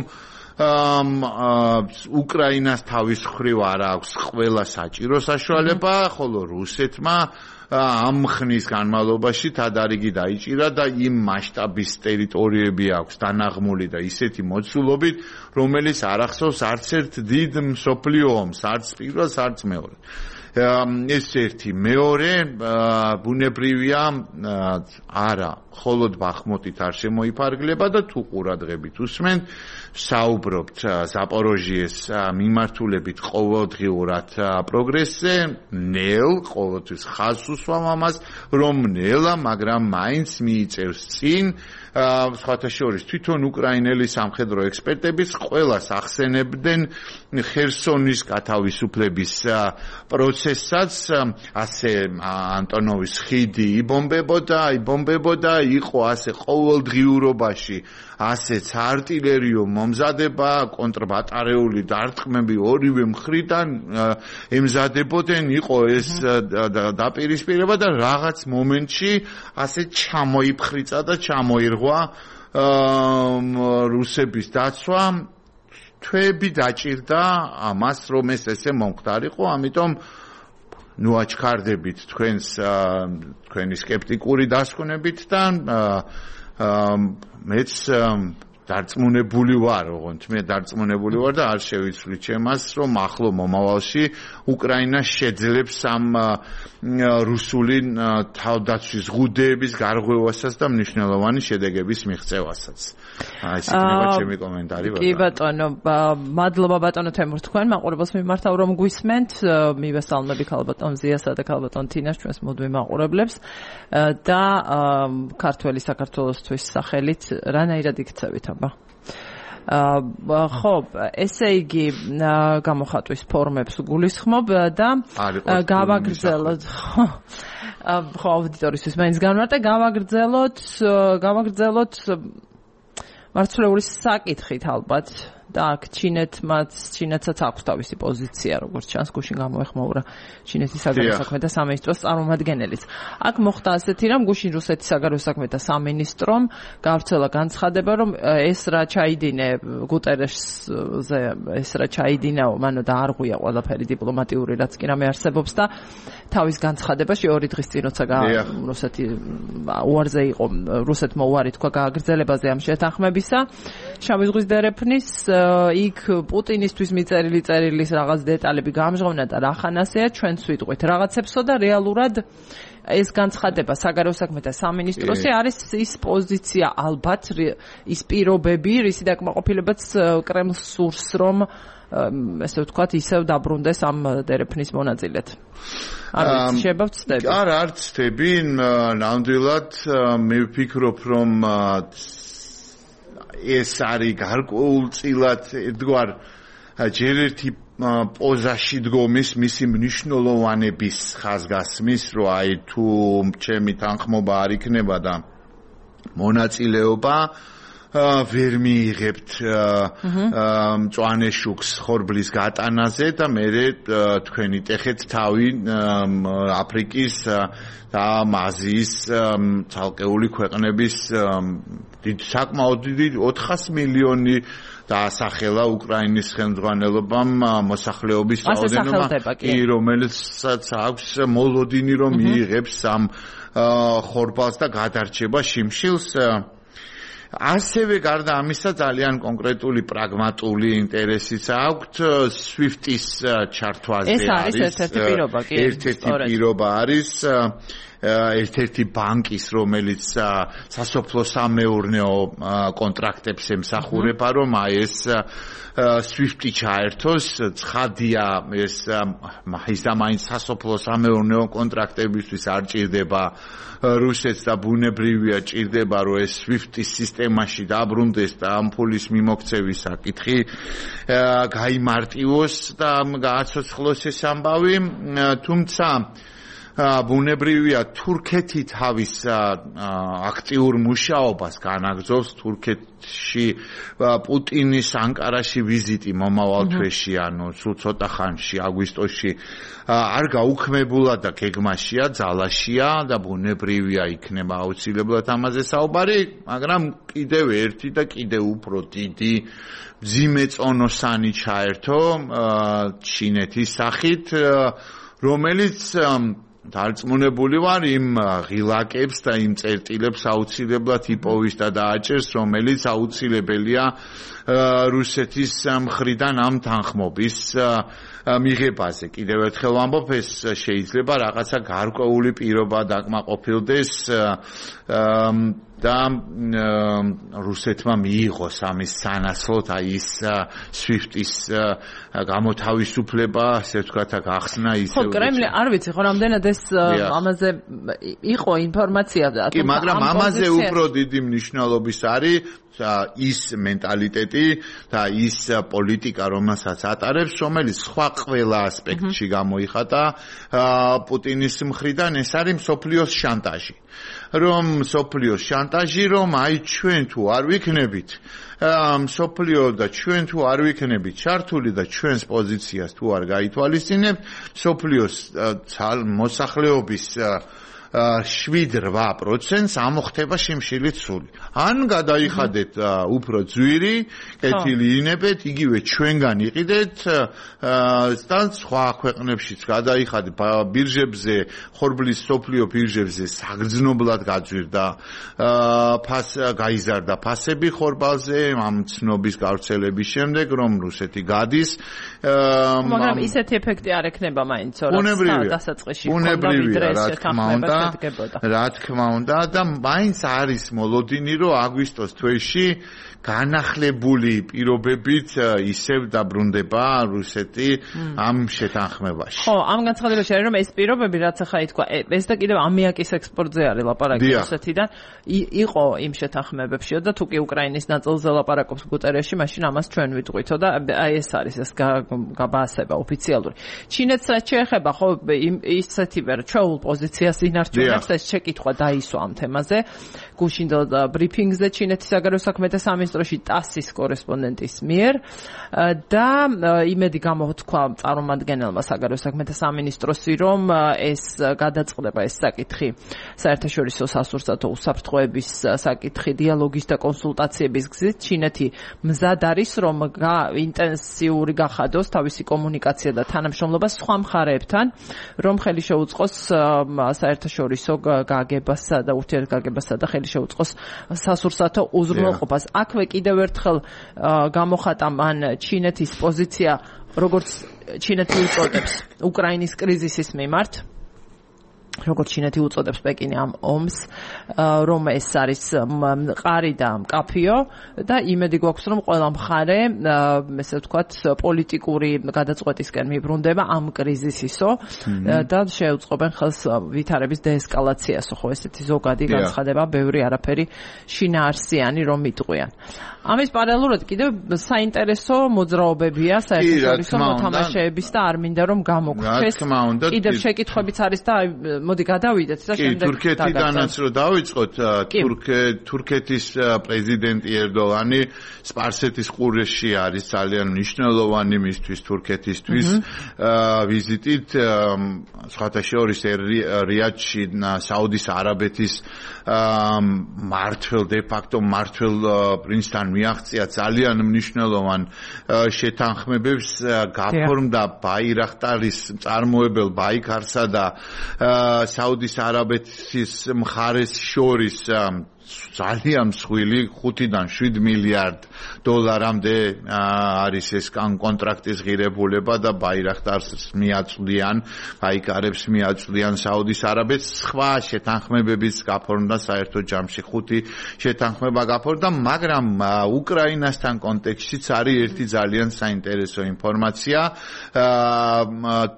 უკრაინას თავის მხრივ არ აქვს ყველა საჭირო საშუალება, ხოლო რუსეთმა ამ ხნის განმავლობაში თადარიგი დაიჭირა და იმ მასშტაბის ტერიტორიები აქვს დანაღმული და ისეთი მოცულობით, რომელიც არ ახსოვს არც ერთ დიდ მსოფლიო ომს, არც პირველს, არც მეორეს. ეს ერთი. მეორე, ბუნებრივია არა, მხოლოდ ბახმუტით არ შემოიფარგლება და თუ ყურადღებით უსმენთ, საუბრობთ ზაპოროჟიეს მიმართულებით ყოველდღიურად პროგრესზე, ნელ, ყოველთვის ხაზს უსვამ ამას, რომ ნელა, მაგრამ მაინც მიიწევს წინ, სხვათა შორის თვითონ უკრაინელი სამხედრო ექსპერტების ყველას ახსენებდნენ ხერსონის გათავისუფლების პროცესსაც, ასე ანტონოვის ხიდი იბომბებოდა, იბომბებოდა, იყო ასე ყოველდღიურობაში ასეც არტილერიო მომზადება, კონტრბატარეული დარტყმები ორივე მხრიდან ემზადებოდნენ, იყო ეს დაპირისპირება და რაღაც მომენტში ასე ჩამოიფხრიცა და ჩამოირღვა რუსების დაცვა. თვეები დაჭირდა ამას, რომ ეს ესე მომხდარიყო, ამიტომ ნუ აჩქარდებით თქვენს თქვენი სკეპტიკური დასკვნებით და მეც დარწმუნებული ვარ, ოღონდ მე დარწმუნებული ვარ და არ შევიცვლი ჩემას, რომ ახლო მომავალში უკრაინა შეძლებს ამ რუსული თავდაცვის ღუდეების გარღვევასაც და მნიშვნელოვანი შედეგების მიღწევასაც. აი ეს იქნება ჩემი კომენტარი. კი ბატონო, მადლობა ბატონო თემურ თქვენ მაყურებელს მიმართავ რომ გვისმენთ, მივესალმები ქალბატონ ზიასა და ქალბატონ თინას ჩვენს მუდმივ მაყურებლებს და ქართველი საქართველოსთვის სახელით რანაირად იქცევით აბა? ხო, ესე იგი გამოხატვის ფორმებს გულისხმობ და გავაგრძელოთ. ხო, აუდიტორისთვის მაინც განმარტე, გავაგრძელოთ, გავაგრძელოთ მარცვლეული საკითხით ალბათ და აქ ჩინეთმაც, ჩინეთსაც აქვს თავისი პოზიცია, როგორც ჩანს, გუშინ გამოეხმაურა ჩინეთის საგარეო საქმეთა სამინისტროს წარმომადგენელიც. აქ მოხდა ასეთი რამ, გუშინ რუსეთის საგარეო საქმეთა სამინისტრომ გავრცელა განცხადება, რომ ეს რა ჩაიდინე გუტერეშზე, ეს რა ჩაიდინაო, მანო დაარღვია ყველაფერი დიპლომატიური, რაც კი რამე არსებობს და თავის განცხადებაში ორი დღის წინ როცა რუსეთი უარზე იყო, რუსეთმა უარი თქვა გააგრძელებაზე ამ შეთანხმებისა, შავი ზღვის დერეფნის იქ პუტინისთვის მიწერილი წერილის რაღაც დეტალები გამჟღავნა და რახანასეა ჩვენც ვიტყვით რაღაცებსო და რეალურად ეს განცხადება საგარეო საქმეთა სამინისტროსი არის ის პოზიცია ალბათ ის პირობები რისი დაკმაყოფილებაც კრემლს სურს რომ ესე ვთქვათ ისევ დაბრუნდეს ამ დერეფნის მონაწილედ. არ ვიცი შეიძლება ვცდები. არა არ ვცდები, ნამდვილად მე ვფიქრობ რომ ეს არის გარკვეულწილად ერთგვარ ჯერ ერთი პოზაში დგომის მისი მნიშვნელოვანების ხაზგასმის რომ აი თუ ჩემი თანხმობა არ იქნება და მონაწილეობა ვერ მიიღებთ მწვანე შუქს ხორბლის გატანაზე და მე თქვენი ტეხეთ თავი აფრიკის და აზიის ცალკეული ქვეყნების დიდ საკმაოდ დიდი ოთხას მილიონი დაასახელა უკრაინის ხელმძღვანელობამ მოსახლეობის რაოდენობა, რომელსაც აქვს მოლოდინი რომ მიიღებს ამ ხორბალს და გადარჩება შიმშილს. ასევე გარდა ამისა ძალიან კონკრეტული პრაგმატული ინტერესიც აქვთ SWIFT-ის ჩართვაზე ეს არის ერთ-ერთი პირობა კი ერთ-ერთი პირობა არის ერთ-ერთი ბანკის რომელიც სასოფლო-სამეურნეო კონტრაქტებს ემსახურება რომ აი ეს SWIFT-ი ჩაერთოს ცხადია ეს ის და მაინც სასოფლო-სამეურნეო კონტრაქტებისთვის არ ჭირდება რუსეთს და ბუნებრივია ჭირდება რომ ეს SWIFT-ის სისტემაში დაბრუნდეს და ამ ფულის მიმოქცევის საკითხი გაიმარტივოს და გააცოცხლოს ეს ამბავი თუმცა ბუნებრივია თურქეთი თავის აქტიურ მუშაობას განაგრძობს თურქეთში პუტინის ანკარაში ვიზიტი მომავალ თვეში ანუ სულ ცოტა ხანში აგვისტოში არ გაუქმებულა და გეგმაშია ძალაშია და ბუნებრივია იქნება აუცილებლად ამაზე საუბარი მაგრამ კიდევ ერთი და კიდევ უფრო დიდი მძიმე წონოსანი ჩაერთო ჩინეთის სახით რომელიც დარწმუნებული ვარ იმ ღილაკებს და იმ წერტილებს აუცილებლად იპოვის და დააჭერს რომელიც აუცილებელია რუსეთის მხრიდან ამ თანხმობის მიღებაზე. კიდევ ერთხელ ვამბობ ეს შეიძლება რაღაცა გარკვეული პირობა დაკმაყოფილდეს და რუსეთმა მიიღოს ამის სანაცვლოდ აი ის SWIFT-ის გამოთავისუფლება, ასე ვთქვათ, გახსნა ისე. ხო, კრემლი არ ვიცი, ხო, რამდენად ეს ამაზე იყო ინფორმაცია და კი, მაგრამ ამაზე უფრო დიდი მნიშვნელობის არის ის მენტალიტეტი და ის პოლიტიკა, რომელსაც ატარებს, რომელიც სხვა ყველა ასპექტში გამოიხატა პუტინის მხრიდან, ეს არის მსოფლიოს შანტაჟი. რომ მსოფლიოს შანტაჟი, რომ აი ჩვენ თუ არ ვიქნებით მსოფლიო და ჩვენ თუ არ ვიქნებით ჩართული და ჩვენს პოზიციას თუ არ გაითვალისწინებთ, მსოფლიოს მოსახლეობის შვიდ რვა პროცენტს ამოხდება შიმშილით სული. ან გადაიხადეთ უფრო ძვირი, კეთილი ინებეთ, იგივე ჩვენგან იყიდეთ და სხვა ქვეყნებშიც გადაიხადეთ ბირჟებზე, ხორბლის სოფლიო ბირჟებზე საგრძნობლად გაძვირდა ფას გაიზარდა ფასები ხორბალზე ამ ცნობის გავრცელების შემდეგ, რომ რუსეთი გადის. მაგრამ ისეთი ეფექტი არ ექნება მაინც, რომ დასაწყისში ქონდა ვიდრე ეს შეთანხმება რა თქმა უნდა და მაინც არის მოლოდინი რომ აგვისტოს თვეში განახლებული პირობებით ისევ დაბრუნდება რუსეთი ამ შეთანხმებაში. ხო, ამ განცხადებაში არის რომ ეს პირობები რაც ახლა ითქვა, ეს და კიდევ ამიაკის ექსპორტზე არის ლაპარაკი რუსეთიდან, იყო იმ შეთანხმებებშიო და თუ კი უკრაინის ნაწილზე ლაპარაკობს გუტერეში, მაშინ ამას ჩვენ ვიტყვითო და აი ეს არის ეს გაბასება ოფიციალური. ჩინეთს რაც შეეხება, ხო, ისეთივე ჩვეულ პოზიციას ინარჩუნებს, ეს შეკითხვა დაისვა ამ თემაზე. გუშინდელ ბრიფინგზე ჩინეთის საგარეო საქმეთა სამინისტროში ტასის კორესპონდენტის მიერ და იმედი გამოთქვა წარმომადგენელმა საგარეო საქმეთა სამინისტროსი, რომ ეს გადაწყდება ეს საკითხი საერთაშორისო სასურსათო უსაფრთხოების საკითხი დიალოგის და კონსულტაციების გზით ჩინეთი მზად არის რომ ინტენსიური გახადოს თავისი კომუნიკაცია და თანამშრომლობა სხვა მხარეებთან, რომ ხელი შეუწყოს საერთაშორისო საერთაშორისო გაგებასა და ურთიერთგაგებასა და ხელი შეუწყოს სასურსათო უზრუნველყოფას. აქვე კიდევ ერთხელ გამოხატა მან ჩინეთის პოზიცია, როგორც ჩინეთი უწოდებს უკრაინის კრიზისის მიმართ, როგორც ჩინეთი უწოდებს პეკინი ამ ომს, რომ ეს არის მყარი და მკაფიო და იმედი გვაქვს, რომ ყველა მხარე, ესე ვთქვათ, პოლიტიკური გადაწყვეტისკენ მიბრუნდება ამ კრიზისისო და შეუწყობენ ხელს ვითარების დეესკალაციასო, ხო, ესეთი ზოგადი განცხადება, ბევრი არაფერი შინაარსიანი რომ იტყვიან. ამის პარალელურად კიდევ საინტერესო მოძრაობებია საერთაშორისო მოთამაშეების და არ მინდა რომ გამოგვრჩეს. კიდევ შეკითხვებიც არის და მოდი გადავიდეთ და შემდეგ თურქეთიდანაც რომ დავიწყოთ, თურქეთის პრეზიდენტი ერდოღანი სპარსეთის ყურეში არის ძალიან მნიშვნელოვანი მისთვის თურქეთისთვის ვიზიტით, სხვათა შორის რიადში საუდის არაბეთის მმართველ დე ფაქტო მმართველ პრინცთან მიაღწია ძალიან მნიშვნელოვან შეთანხმებებს, გაფორმდა ბაირახტარის მწარმოებელ ბაიქარსა და საუდის არაბეთის მხარეს შორის ძალიან მსხვილი ხუთიდან შვიდ მილიარდ დოლარამდე არის ეს კონტრაქტის ღირებულება და ბაირახტარს მიაწვდიან, ბაიკარებს მიაწვდიან საუდის არაბეთს. სხვა შეთანხმებების გაფორმდა საერთო ჯამში ხუთი შეთანხმება გაფორმდა, მაგრამ უკრაინასთან კონტექსტშიც არის ერთი ძალიან საინტერესო ინფორმაცია.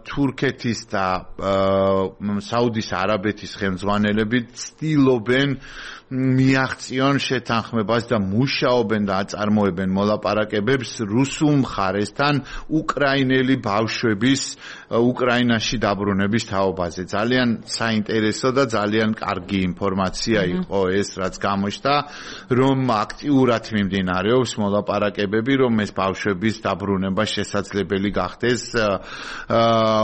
თურქეთის და საუდის არაბეთის ხელმძღვანელები ცდილობენ მიაღწიონ შეთანხმებას და მუშაობენ და აწარმოებენ მოლაპარაკებებს რუსულ მხარესთან უკრაინელი ბავშვების უკრაინაში დაბრუნების თაობაზე. ძალიან საინტერესო და ძალიან კარგი ინფორმაცია იყო ეს, რაც გამოჩნდა, რომ აქტიურად მიმდინარეობს მოლაპარაკებები, რომ ეს ბავშვების დაბრუნება შესაძლებელი გახდეს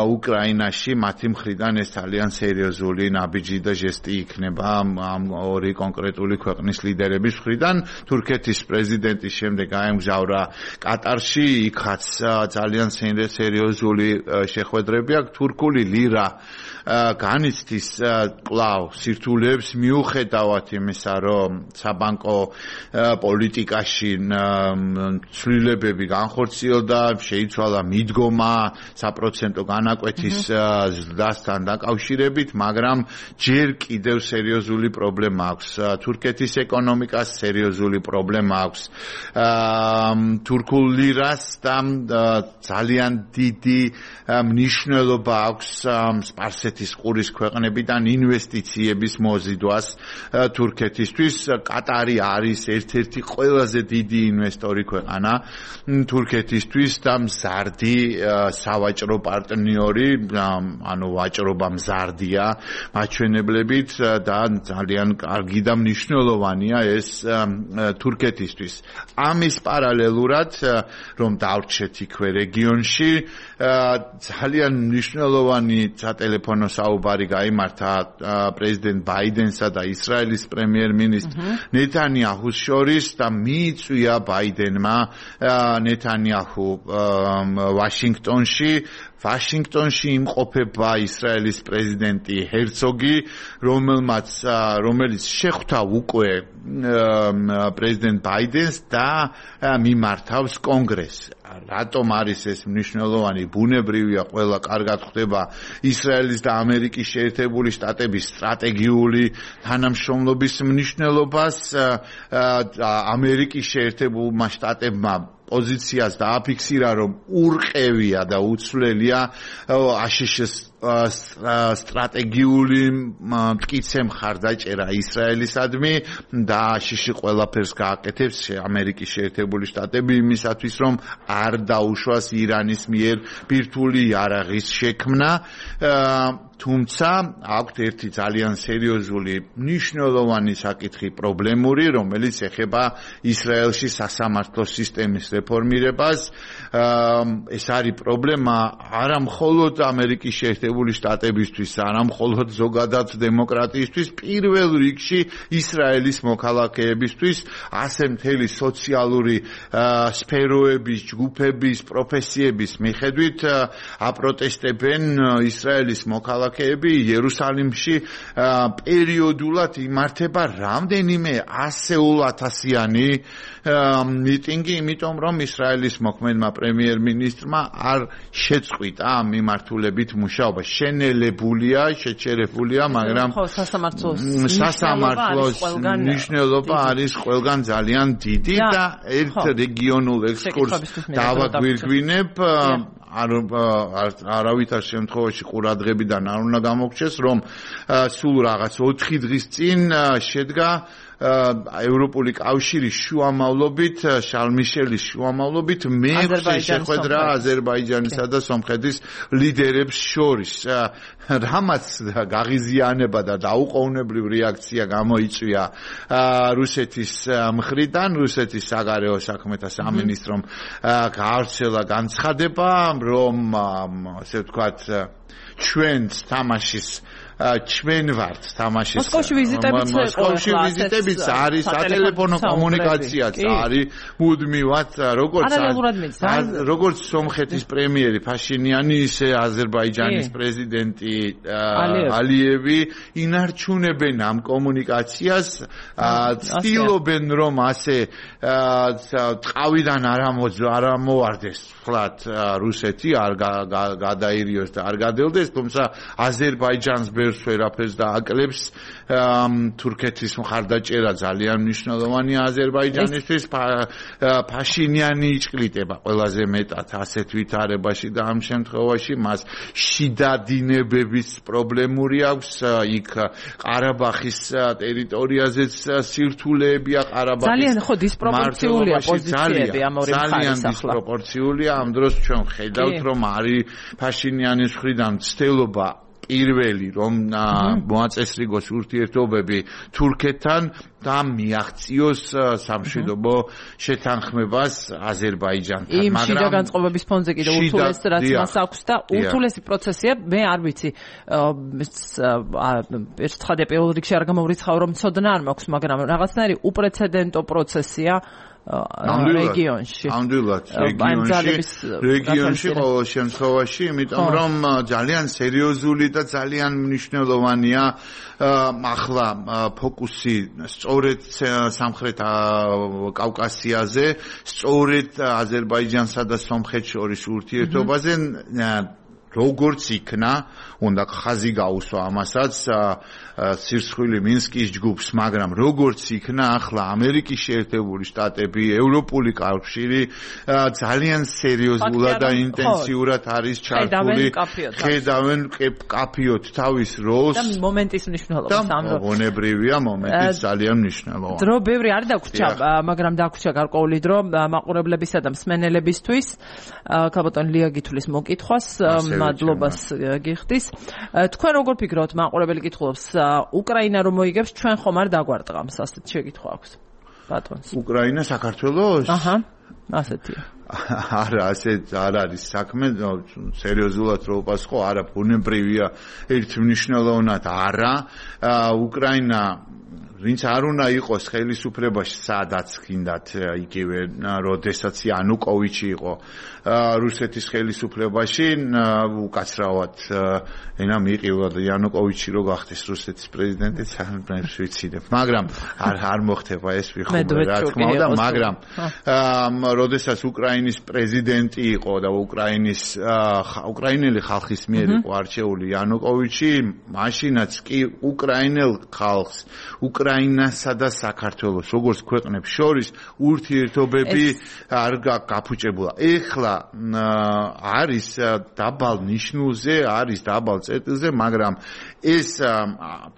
უკრაინაში. მათი მხრიდან ეს ძალიან სერიოზული ნაბიჯი და ჟესტი იქნება ამ ორი კონკრეტული ქვეყნის ლიდერების მხრიდან. თურქეთის პრეზიდენტის შემდეგ აემგზავრა კატარში, იქაც ძალიან სერიოზული შეხვედრები აქვს. თურქული ლიրա განიცდის კვლავ სირთულეებს მიუხედავად იმისა, რომ საბანკო პოლიტიკაში ცვლილებები განხორციელდა, შეიცვალა მიდგომა საპროცენტო განაკვეთის ზრდასთან დაკავშირებით, მაგრამ ჯერ კიდევ სერიოზული პრობლემა აქვს. თურქეთის ეკონომიკას სერიოზული პრობლემა აქვს. თურქულ ლირას და ძალიან დიდი მნიშვნელობა აქვს სპარსეთის ყურის ქვეყნებიდან ინვესტიციების მოზიდვას თურქეთისთვის. კატარი არის ერთ-ერთი ყველაზე დიდი ინვესტორი ქვეყანა თურქეთისთვის და მზარდი სავაჭრო პარტნიორი, ანუ ვაჭრობა მზარდია მაჩვენებლებით და ძალიან კარგი და მნიშვნელოვანია ეს თურქეთისთვის. ამის პარალელურად, რომ დავრჩეთ იქვე რეგიონში, ძალიან მნიშვნელოვანი სატელეფონო საუბარი გაიმართა პრეზიდენტ ბაიდენსა და ისრაელის პრემიერ-მინისტრ ნეთანიაჰუს შორის და მიიწვია ბაიდენმა ნეთანიაჰუ ვაშინგტონში. ვაშინგტონში იმყოფება ისრაელის პრეზიდენტი ჰერცოგი, რომელმაც რომელიც შეხვდა უკვე პრეზიდენტ ბაიდენს და მიმართავს კონგრესს. რატომ არის ეს მნიშვნელოვანი? ბუნებრივია, ყველა კარგად ხვდება ისრაელის და ამერიკის შეერთებული შტატების სტრატეგიული თანამშრომლობის მნიშვნელობას. ამერიკის შეერთებულმა შტატებმა პოზიციას დააფიქსირა, რომ ურყევია და უცვლელია აშშ-ის სტრატეგიული მტკიცე მხარდაჭერა ისრაელისადმი და აშშ-ი ყველაფერს გააკეთებს ამერიკის შეერთებული შტატები იმისათვის, რომ არ დაუშვას ირანის მიერ ბირთვული იარაღის შექმნა. თუმცა აქვთ ერთი ძალიან სერიოზული მნიშვნელოვანი საკითხი პრობლემური, რომელიც ეხება ისრაელში სასამართლო სისტემის რეფორმირებას. ეს არის პრობლემა არა მხოლოდ ამერიკის შეერთებული შტატებისთვის, არა მხოლოდ ზოგადად დემოკრატიისთვის, პირველ რიგში ისრაელის მოქალაქეებისთვის, ასე მთელი სოციალური სფეროების, ჯგუფების, პროფესიების მიხედვით აპროტესტებენ ისრაელის მოქალაქეები იერუსალიმში პერიოდულად იმართება რამდენიმე ასეულათასიანი მიტინგი, იმიტომ რომ ისრაელის მოქმედმა პრემიერ-მინისტრმა არ შეწყვიტა ამ მიმართულებით მუშაობა. შენელებულია, შეჩერებულია, მაგრამ სასამართლოს მნიშვნელობა არის ყველგან ძალიან დიდი და ერთ რეგიონულ ექსკურსს დავაგვირგვინებ არავითარ შემთხვევაში ყურადღებიდან არ უნდა გამოგჩეს, რომ სულ რაღაც ოთხი დღის წინ შედგა ევროპული კავშირის შუამავლობით, შარლ მიშელის შუამავლობით მეექვსე შეხვედრა აზერბაიჯანისა და სომხეთის ლიდერებს შორის, რამაც გაღიზიანება და დაუყოვნებლივ რეაქცია გამოიწვია რუსეთის მხრიდან, რუსეთის საგარეო საქმეთა სამინისტრომ გაავრცელა განცხადება, რომ ასე ვთქვათ, ჩვენც თამაშის ჩვენ ვართ თამაშის მოსკოვში ვიზიტებიც მოსკოვში ვიზიტებიც არის სატელეფონო კომუნიკაციაც არის მუდმივად როგორც როგორც სომხეთის პრემიერი ფაშინიანი ისე აზერბაიჯანის პრეზიდენტი ალიევი ინარჩუნებენ ამ კომუნიკაციას ცდილობენ რომ ასე ტყავიდან არ ამოვარდეს ფლათ რუსეთი არ გადაირიოს და არ გადელდეს თუმცა აზერბაიჯანს ბერს ვერაფერს და აკლებს თურქეთის მხარდაჭერა ძალიან მნიშვნელოვანია აზერბაიჯანისთვის ფაშინიანი იჭკლიტება ყველაზე მეტად ასეთ ვითარებაში და ამ შემთხვევაში მას შიდა დინებების პრობლემური აქვს იქ ყარაბახის ტერიტორიაზეც სირთულეებია ყარაბახის ძალიან ხო დისპროპორციულია პოზიციები ამ ორი მხარის ახლა დისპროპორციულია ამ დროს ჩვენ ხედავთ რომ არის ფაშინიანის მხრიდან ცდილობა პირველი რომ მოაწესრიგოს ურთიერთობები თურქეთთან და მიაღწიოს სამშვიდობო შეთანხმებას აზერბაიჯანთან, მაგრამ იმ შიდა განწყობების ფონზე კიდე ურთულეს რაც მას აქვს და ურთულესი პროცესია, მე არ ვიცი ერთხადე პირველ რიგში არ გამოვრიცხავ რომ ცოდნა არ მაქვს, მაგრამ რაღაცნაირი უპრეცედენტო პროცესია რეგიონში. ამდენად რეგიონში, რეგიონში ყოველ შემთხვევაში, იმიტომ რომ ძალიან სერიოზული და ძალიან მნიშვნელოვანია ახლა ფოკუსი სწორედ სამხრეთ კავკასიაზე, სწორედ აზერბაიჯანსა და სომხეთს შორის ურთიერთობაზე როგორც იქნა, უნდა ხაზი გაუსვა ამასაც სირცხვილი მინსკის ჯგუფს, მაგრამ როგორც იქნა ახლა ამერიკის შეერთებული შტატები, ევროპული კავშირი ძალიან სერიოზულად და ინტენსიურად არის ჩართული, ხედავენ კაფიოთ თავის როლს და მომენტის მნიშვნელობას ამ და მონებრივია მომენტის ძალიან მნიშვნელოვანი. დრო ბევრი არ დაგვრჩა, მაგრამ დაგვრჩა გარკვეული დრო მაყურებლებისა და მსმენელებისთვის. ქალბატონ ლია გითulis მოკითხვას მადლობას გიხდის. თქვენ როგორ ფიქრობთ, მაყურებელი კითხულობს, უკრაინა რომ მოიგებს, ჩვენ ხომ არ დაგვარტყამს, ასეთ შეკითხვა აქვს ბატონს. უკრაინა საქართველოს? აჰა, ასეთია. არა, ასეთ არ არის საქმე, სერიოზულად რო უპასუხო, არა, ბუნებრივია ერთმნიშვნელოვნად არა. უკრაინა ვინც არ უნდა იყოს ხელისუფლებაში, სადაც გინდათ იგივე, როდესაც იანუკოვიჩი იყო რუსეთის ხელისუფლებაში, უკაცრავად ენა მიყილა და იანუკოვიჩი რო გახდეს რუსეთის პრეზიდენტი, სამებს ვიციდებ, მაგრამ არ არ მოხდება ეს ვიხობ რა თქმა უნდა, მაგრამ როდესაც უკრაინის პრეზიდენტი იყო და უკრაინის უკრაინელი ხალხის მიერ იყო არჩეული იანუკოვიჩი, მაშინაც კი უკრაინელ ხალხს უკრაინასა და საქართველოს როგორც ქვეყნებს შორის ურთიერთობები არ გაფუჭებულა. ეხლა არის დაბალ ნიშნულზე, არის დაბალ წერტილზე, მაგრამ ეს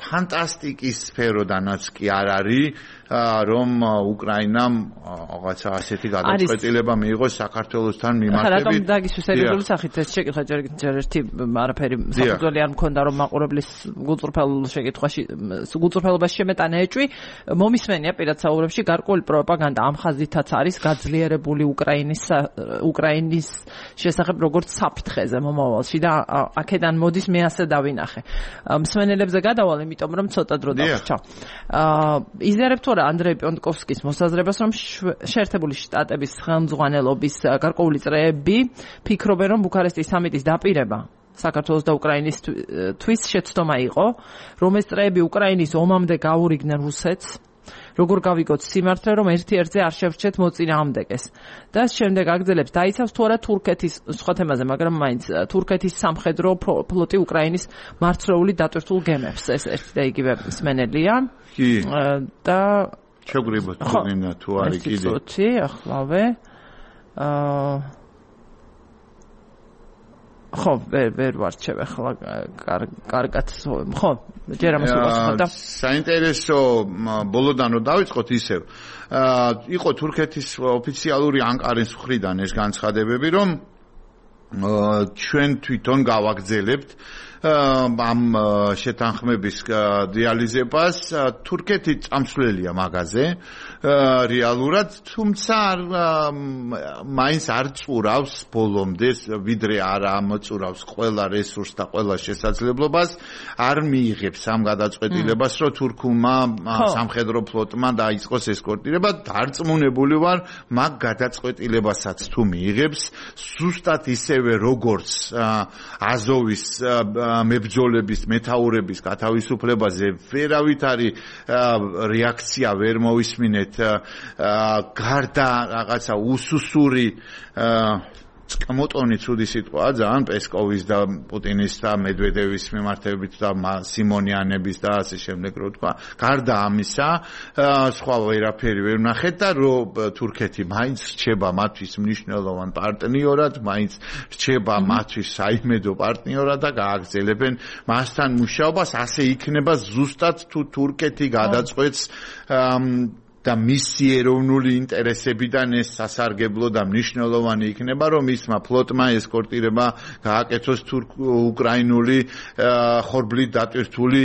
ფანტასტიკის სფეროდანაც კი არ არის, რომ უკრაინამ რაღაცა ასეთი გადაწყვეტილება მიიღოს საქართველოსთან მიმართებით. ახლა რატომ დაგისვა სერიოზული სახით ეს შეკითხვა ჯერ ერთი არაფერი საფუძველი არ მქონდა რომ მაყურებლის გულწრფელ შეკითხვაში გულწრფელობაში შემეტანა ეჭვი მომისმენია პირად საუბრებში გარკვეული პროპაგანდა ამ ხაზითაც არის გაძლიერებული უკრაინის უკრაინის შესახებ როგორც საფრთხეზე მომავალში და აქედან მოდის მე ასე დავინახე. მსმენელებზე გადავალ, იმიტომ რომ ცოტა დრო დავრჩა. იზიარებ თუ არა ანდრეი პიონტკოვსკის მოსაზრებას, რომ შეერთებული შტატების ხელმძღვანელობის გარკვეული წრეები ფიქრობენ, რომ ბუქარესტის სამიტის დაპირება საქართველოს და უკრაინის თვის შეცდომა იყო, რომ ეს წრეები უკრაინის ომამდე გაურიგნენ რუსეთს, როგორ გავიგოთ სიმართლე, რომ ერთ-ერთზე არ შევრჩეთ მოწინააღმდეგეს. და შემდეგ აგრძელებს დაიცავს თუ არა თურქეთის სხვა თემაზე, მაგრამ მაინც თურქეთის სამხედრო ფლოტი უკრაინის მარცვლეული დატვირთულ გემებს. ეს ერთი და იგივე მსმენელია. კი. და შეგრიბოთ თურქინა თუ არის კიდე. ცოტი ახლავე. აა ხო, ვერ ვერ ვარჩევ ახლა კარგად ხო, ჯერ ამას ვუყურებ და საინტერესო ბოლოდან რომ დავიწყოთ ისევ. იყო თურქეთის ოფიციალური ანკარის მხრიდან ეს განცხადებები, რომ ჩვენ თვითონ გავაგრძელებთ ამ შეთანხმების რეალიზებას. თურქეთი წამსვლელია მაგაზე რეალურად, თუმცა მაინც არ წურავს ბოლომდე, ვიდრე არ ამოწურავს ყველა რესურსს და ყველა შესაძლებლობას, არ მიიღებს ამ გადაწყვეტილებას, რომ თურქულმა სამხედრო ფლოტმა დაიწყოს ესკორტირება. დარწმუნებული ვარ, მაგ გადაწყვეტილებასაც თუ მიიღებს, ზუსტად ისევე როგორც აზოვის მებრძოლების, მეთაურების გათავისუფლებაზე ვერავითარი რეაქცია ვერ მოვისმინეთ. გარდა რაღაცა უსუსური წკმოტონი ცუდი სიტყვაა ძალიან პესკოვის და პუტინის და მედვედევის მიმართებით და სიმონიანების და ასე შემდეგ რო თქვა. გარდა ამისა, სხვა ვერაფერი ვერ ვნახეთ და რომ თურქეთი მაინც რჩება მათთვის მნიშვნელოვან პარტნიორად, მაინც რჩება მათთვის საიმედო პარტნიორად და გააგრძელებენ მასთან მუშაობას. ასე იქნება ზუსტად თუ თურქეთი გადაწყვეტს და მისი ეროვნული ინტერესებიდან ეს სასარგებლო და მნიშვნელოვანი იქნება, რომ მისმა ფლოტმა ესკორტირება გააკეთოს უკრაინული ხორბლით დატვირთული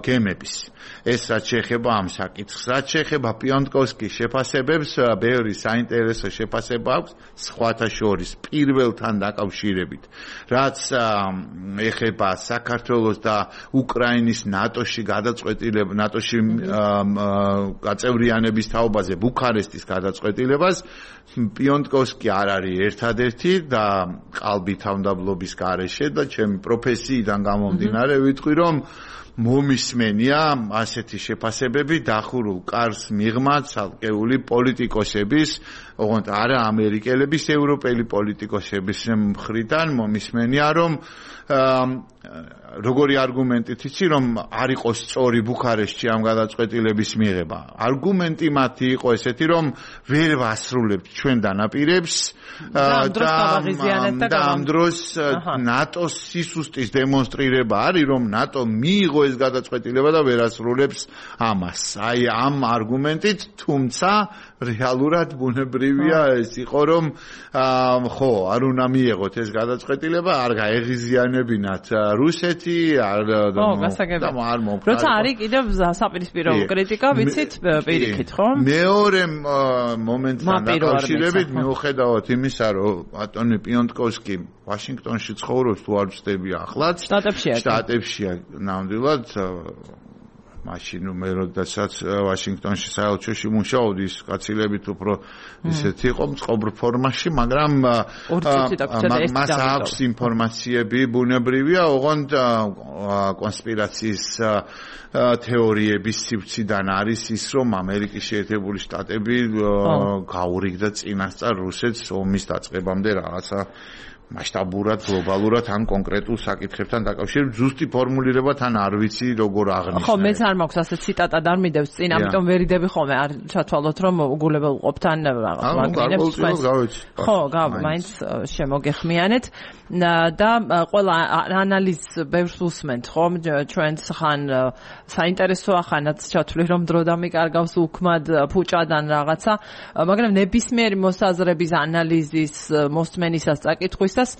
გემების. ეს რაც შეეხება ამ საკითხს, რაც შეეხება პიონტკოვსკის შეფასებებს, ბევრი საინტერესო შეფასება აქვს სხვათა შორის პირველთან დაკავშირებით, რაც ეხება საქართველოს და უკრაინის ნატოში გადაწყვეტილება, ნატოში გაწევრიანების თაობაზე ბუქარესტის გადაწყვეტილებას. პიონტკოვსკი არ არის ერთადერთი და ყალბი თავმდაბლობის გარეშე და ჩემი პროფესიიდან გამომდინარე ვიტყვი, რომ მომისმენია ასეთი შეფასებები დახურულ კარს მიღმა ცალკეული პოლიტიკოსების, ოღონდ არა ამერიკელების, ევროპელი პოლიტიკოსების მხრიდან მომისმენია, რომ როგორი არგუმენტით იცი, რომ არ იყოს სწორი ბუქარესტში ამ გადაწყვეტილების მიღება. არგუმენტი მათი იყო ესეთი, რომ ვერ ვასრულებთ ჩვენ დანაპირებს და ამ დროს ნატოს სისუსტის დემონსტრირება არის, რომ ნატო მიიღო ეს გადაწყვეტილება და ვერ ასრულებს ამას. აი ამ არგუმენტით, თუმცა რეალურად ბუნებრივია ეს იყო, რომ ხო, არ უნდა მიიღოთ ეს გადაწყვეტილება, არ გაეღიზიანებინათ რუსეთი, არ და არ მომხდარა. როცა არის კიდევ საპირისპირო კრიტიკა, ვიცით, პირიქით, ხო? მეორე მომენტთან დაკავშირებით მიუხედავად იმისა, რომ ბატონი პიონტკოვსკი ვაშინგტონში ცხოვრობს, თუ არ ვწდები ახლაც, შტატებშია. შტატებშია ნამდვილად მაშინ უმეროდასაც ვაშინგტონში საელჩოში მუშაობდი, ის კაცილებით უფრო ისეთი იყო მწყობრ ფორმაში, მაგრამ მას აქვს ინფორმაციები ბუნებრივია, ოღონდ კონსპირაციის თეორიების სივრციდან არის ის, რომ ამერიკის შეერთებული შტატები გაურიგდა წინასწარ რუსეთს ომის დაწყებამდე რაღაცა მასშტაბურად, გლობალურად ან კონკრეტულ საკითხებთან დაკავშირებით ზუსტი ფორმულირება თან არ ვიცი როგორ აღნიშნე. ხო, მეც არ მაქვს ასე ციტატად არ მიდევს წინ, ამიტომ ვერიდები ხოლმე არ ჩათვალოთ რომ უგულებელ ყოფთან რაღაც ვაგინებს თქვენს. ხო, გავ, მაინც შემოგეხმიანეთ და ყველა ანალიზს ბევრს უსმენთ, ხო? ჩვენც ხან საინტერესოა, ხანაც ჩათვლი რომ დრო დამიკარგავს უქმად ფუჭადან რაღაცა, მაგრამ ნებისმიერი მოსაზრების ანალიზის მოსმენისას წაკითხვისას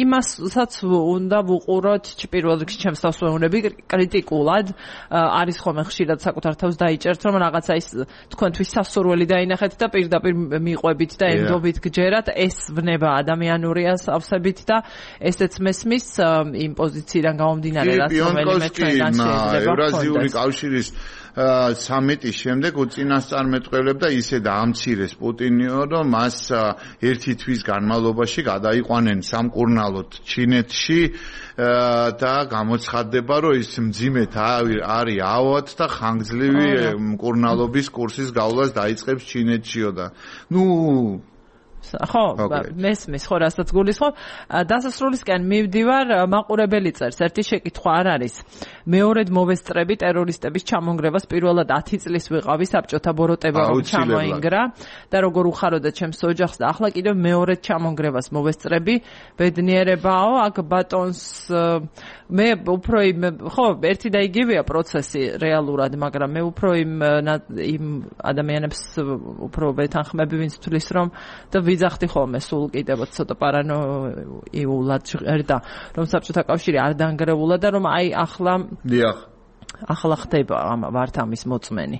იმასაც უნდა ვუყუროთ პირველ რიგში ჩემს თავსვეუნები კრიტიკულად არის ხოლმე ხშირად საკუთარ თავს დაიჭერთ რომ რაღაცა ის თქვენთვის სასურველი დაინახეთ და პირდაპირ მიყვებით და ემდობით გჯერათ ეს ვნება ადამიანურია სავსებით და ესეც მესმის იმ პოზიციიდან გამომდინარე რაც რომელიმე ჩვენგან შეიძლება ევრაზიული კავშირის სამიტის შემდეგ უწინასწარმეტყველებდა ისე დაამცირეს პუტინიო რომ მას ერთი თვის განმავლობაში გადაიყვანენ სამკურნალოდ ჩინეთში და გამოცხადდება რომ ის მძიმედ არის ავად და ხანგრძლივი მკურნალობის კურსის გავლას დაიწყებს ჩინეთშიო და ნუ ხო, მესმის ხო რასაც გულისხმობ. დასასრულისკენ მივდივარ, მაყურებელი წერს, ერთი შეკითხვა არ არის. მეორედ მოვესწრები ტერორისტების ჩამონგრევას პირველად ათი წლის ვიყავი საბჭოთა ბოროტება რომ ჩამოინგრა და როგორ უხაროდა ჩემს ოჯახს და ახლა კიდევ მეორედ ჩამონგრევას მოვესწრები. ბედნიერებაო, აქ ბატონს მე უფრო იმ ხო, ერთი და იგივეა პროცესი რეალურად, მაგრამ მე უფრო იმ იმ ადამიანებს უფრო ვეთანხმები, ვინც თulis რომ და ვიძახდი ხოლმე სულ კიდევ ცოტა პარანოიულად ჟღერდა რომ საბჭოთა კავშირი არ დაანგრევულა და რომ აი ახლა დიახ ახლა ხდება ამ ვართ ამის მოწმენი.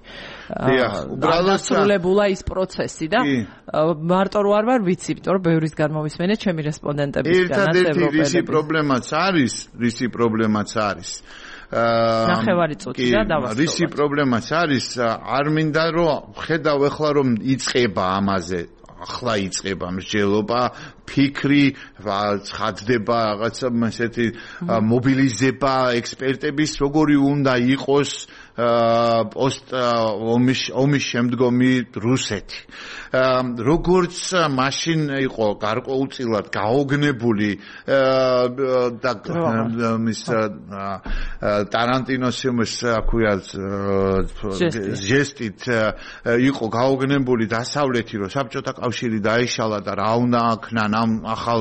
დიახ, უბრალოდ დასრულებულა ის პროცესი და მარტო რო არ ვარ ვიცი, იმიტომ რომ ბევრის გამოვისმენე ჩემი რესპონდენტებისგანაც ევროპელები. ერთადერთი რისი პრობლემაც არის, რისი პრობლემაც არის. ნახევარი წუთი და დავასრულოთ. რისი პრობლემაც არის, არ მინდა რომ ხედავ ახლა რომ იწება ამაზე ახლა იწება მსჯელობა, ფიქრი, ცხადდება რაღაცა ესეთი მობილიზება ექსპერტების, როგორი უნდა იყოს პოსტ ომის ომის შემდგომი რუსეთი. როგორც მაშინ იყო გარკვეულწილად გაოგნებული და მის ტარანტინოს იმის აქვია ჟესტით იყო გაოგნებული დასავლეთი რომ საბჭოთა კავშირი დაიშალა და რა უნდა აქნან ამ ახალ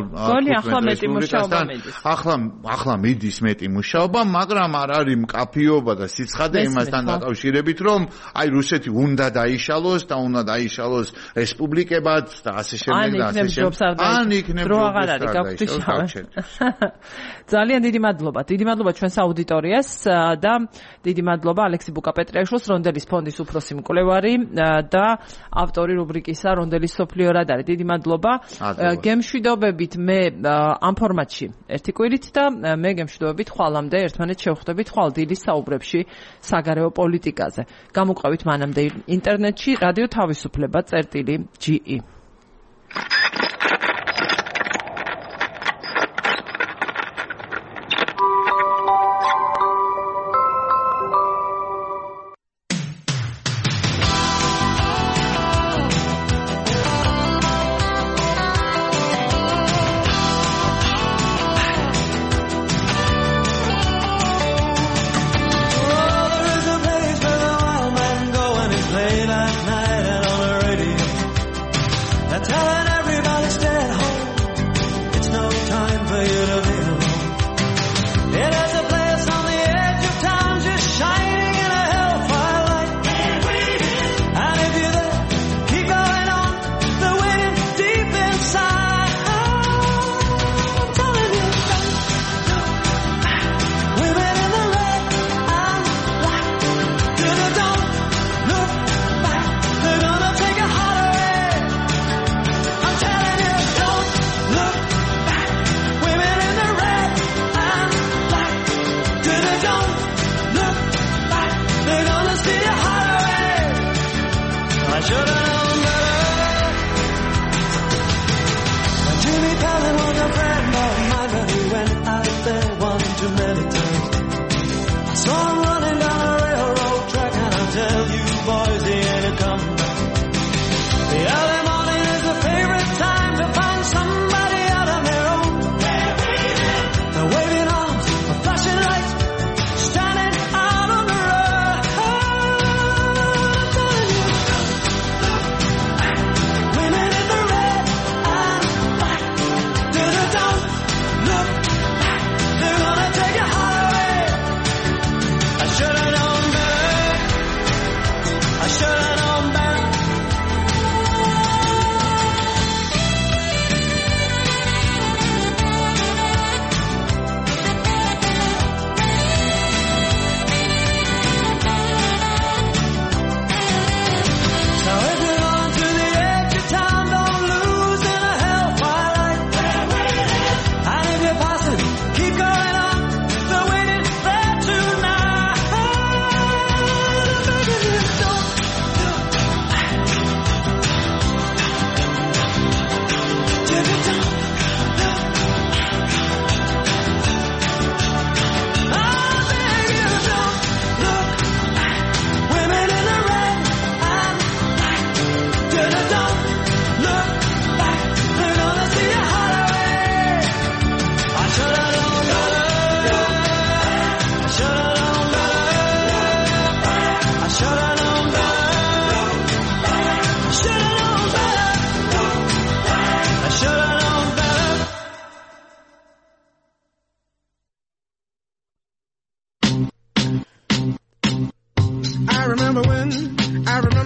რესპუბლიკასთან ახლა ახლა მიდის მეტი მუშაობა, მაგრამ არ არის მკაფიობა და სიცხადე იმასთან დაკავშირებით რომ აი რუსეთი უნდა დაიშალოს და უნდა დაიშალოს რესპუბლიკებად და ასე შემდეგ და ასე შემდეგ. ან იქნებ დრო აღარ არის გაგვთიშავე. ძალიან დიდი მადლობა. დიდი მადლობა ჩვენს აუდიტორიას და დიდი მადლობა ალექსი ბუკაპეტრიაშვილს, რონდელის ფონდის უფროსი მკვლევარი და ავტორი რუბრიკისა რონდელის სოფლიო რადარი. დიდი მადლობა. გემშვიდობებით მე ამ ფორმატში ერთი კვირით და მე გემშვიდობებით ხვალამდე ერთმანეთს შევხვდებით ხვალ დილის საუბრებში საგარეო პოლიტიკაზე. გამოყვებით მანამდე ინტერნეტში რადიო თავისუფლება წერტილი ჯი ი.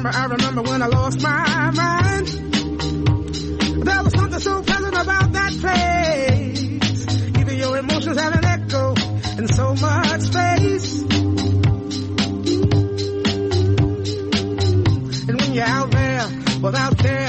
remember, I remember when I lost my mind. There was something so pleasant about that place. Even your emotions have an echo in so much space. And when you're out there without care,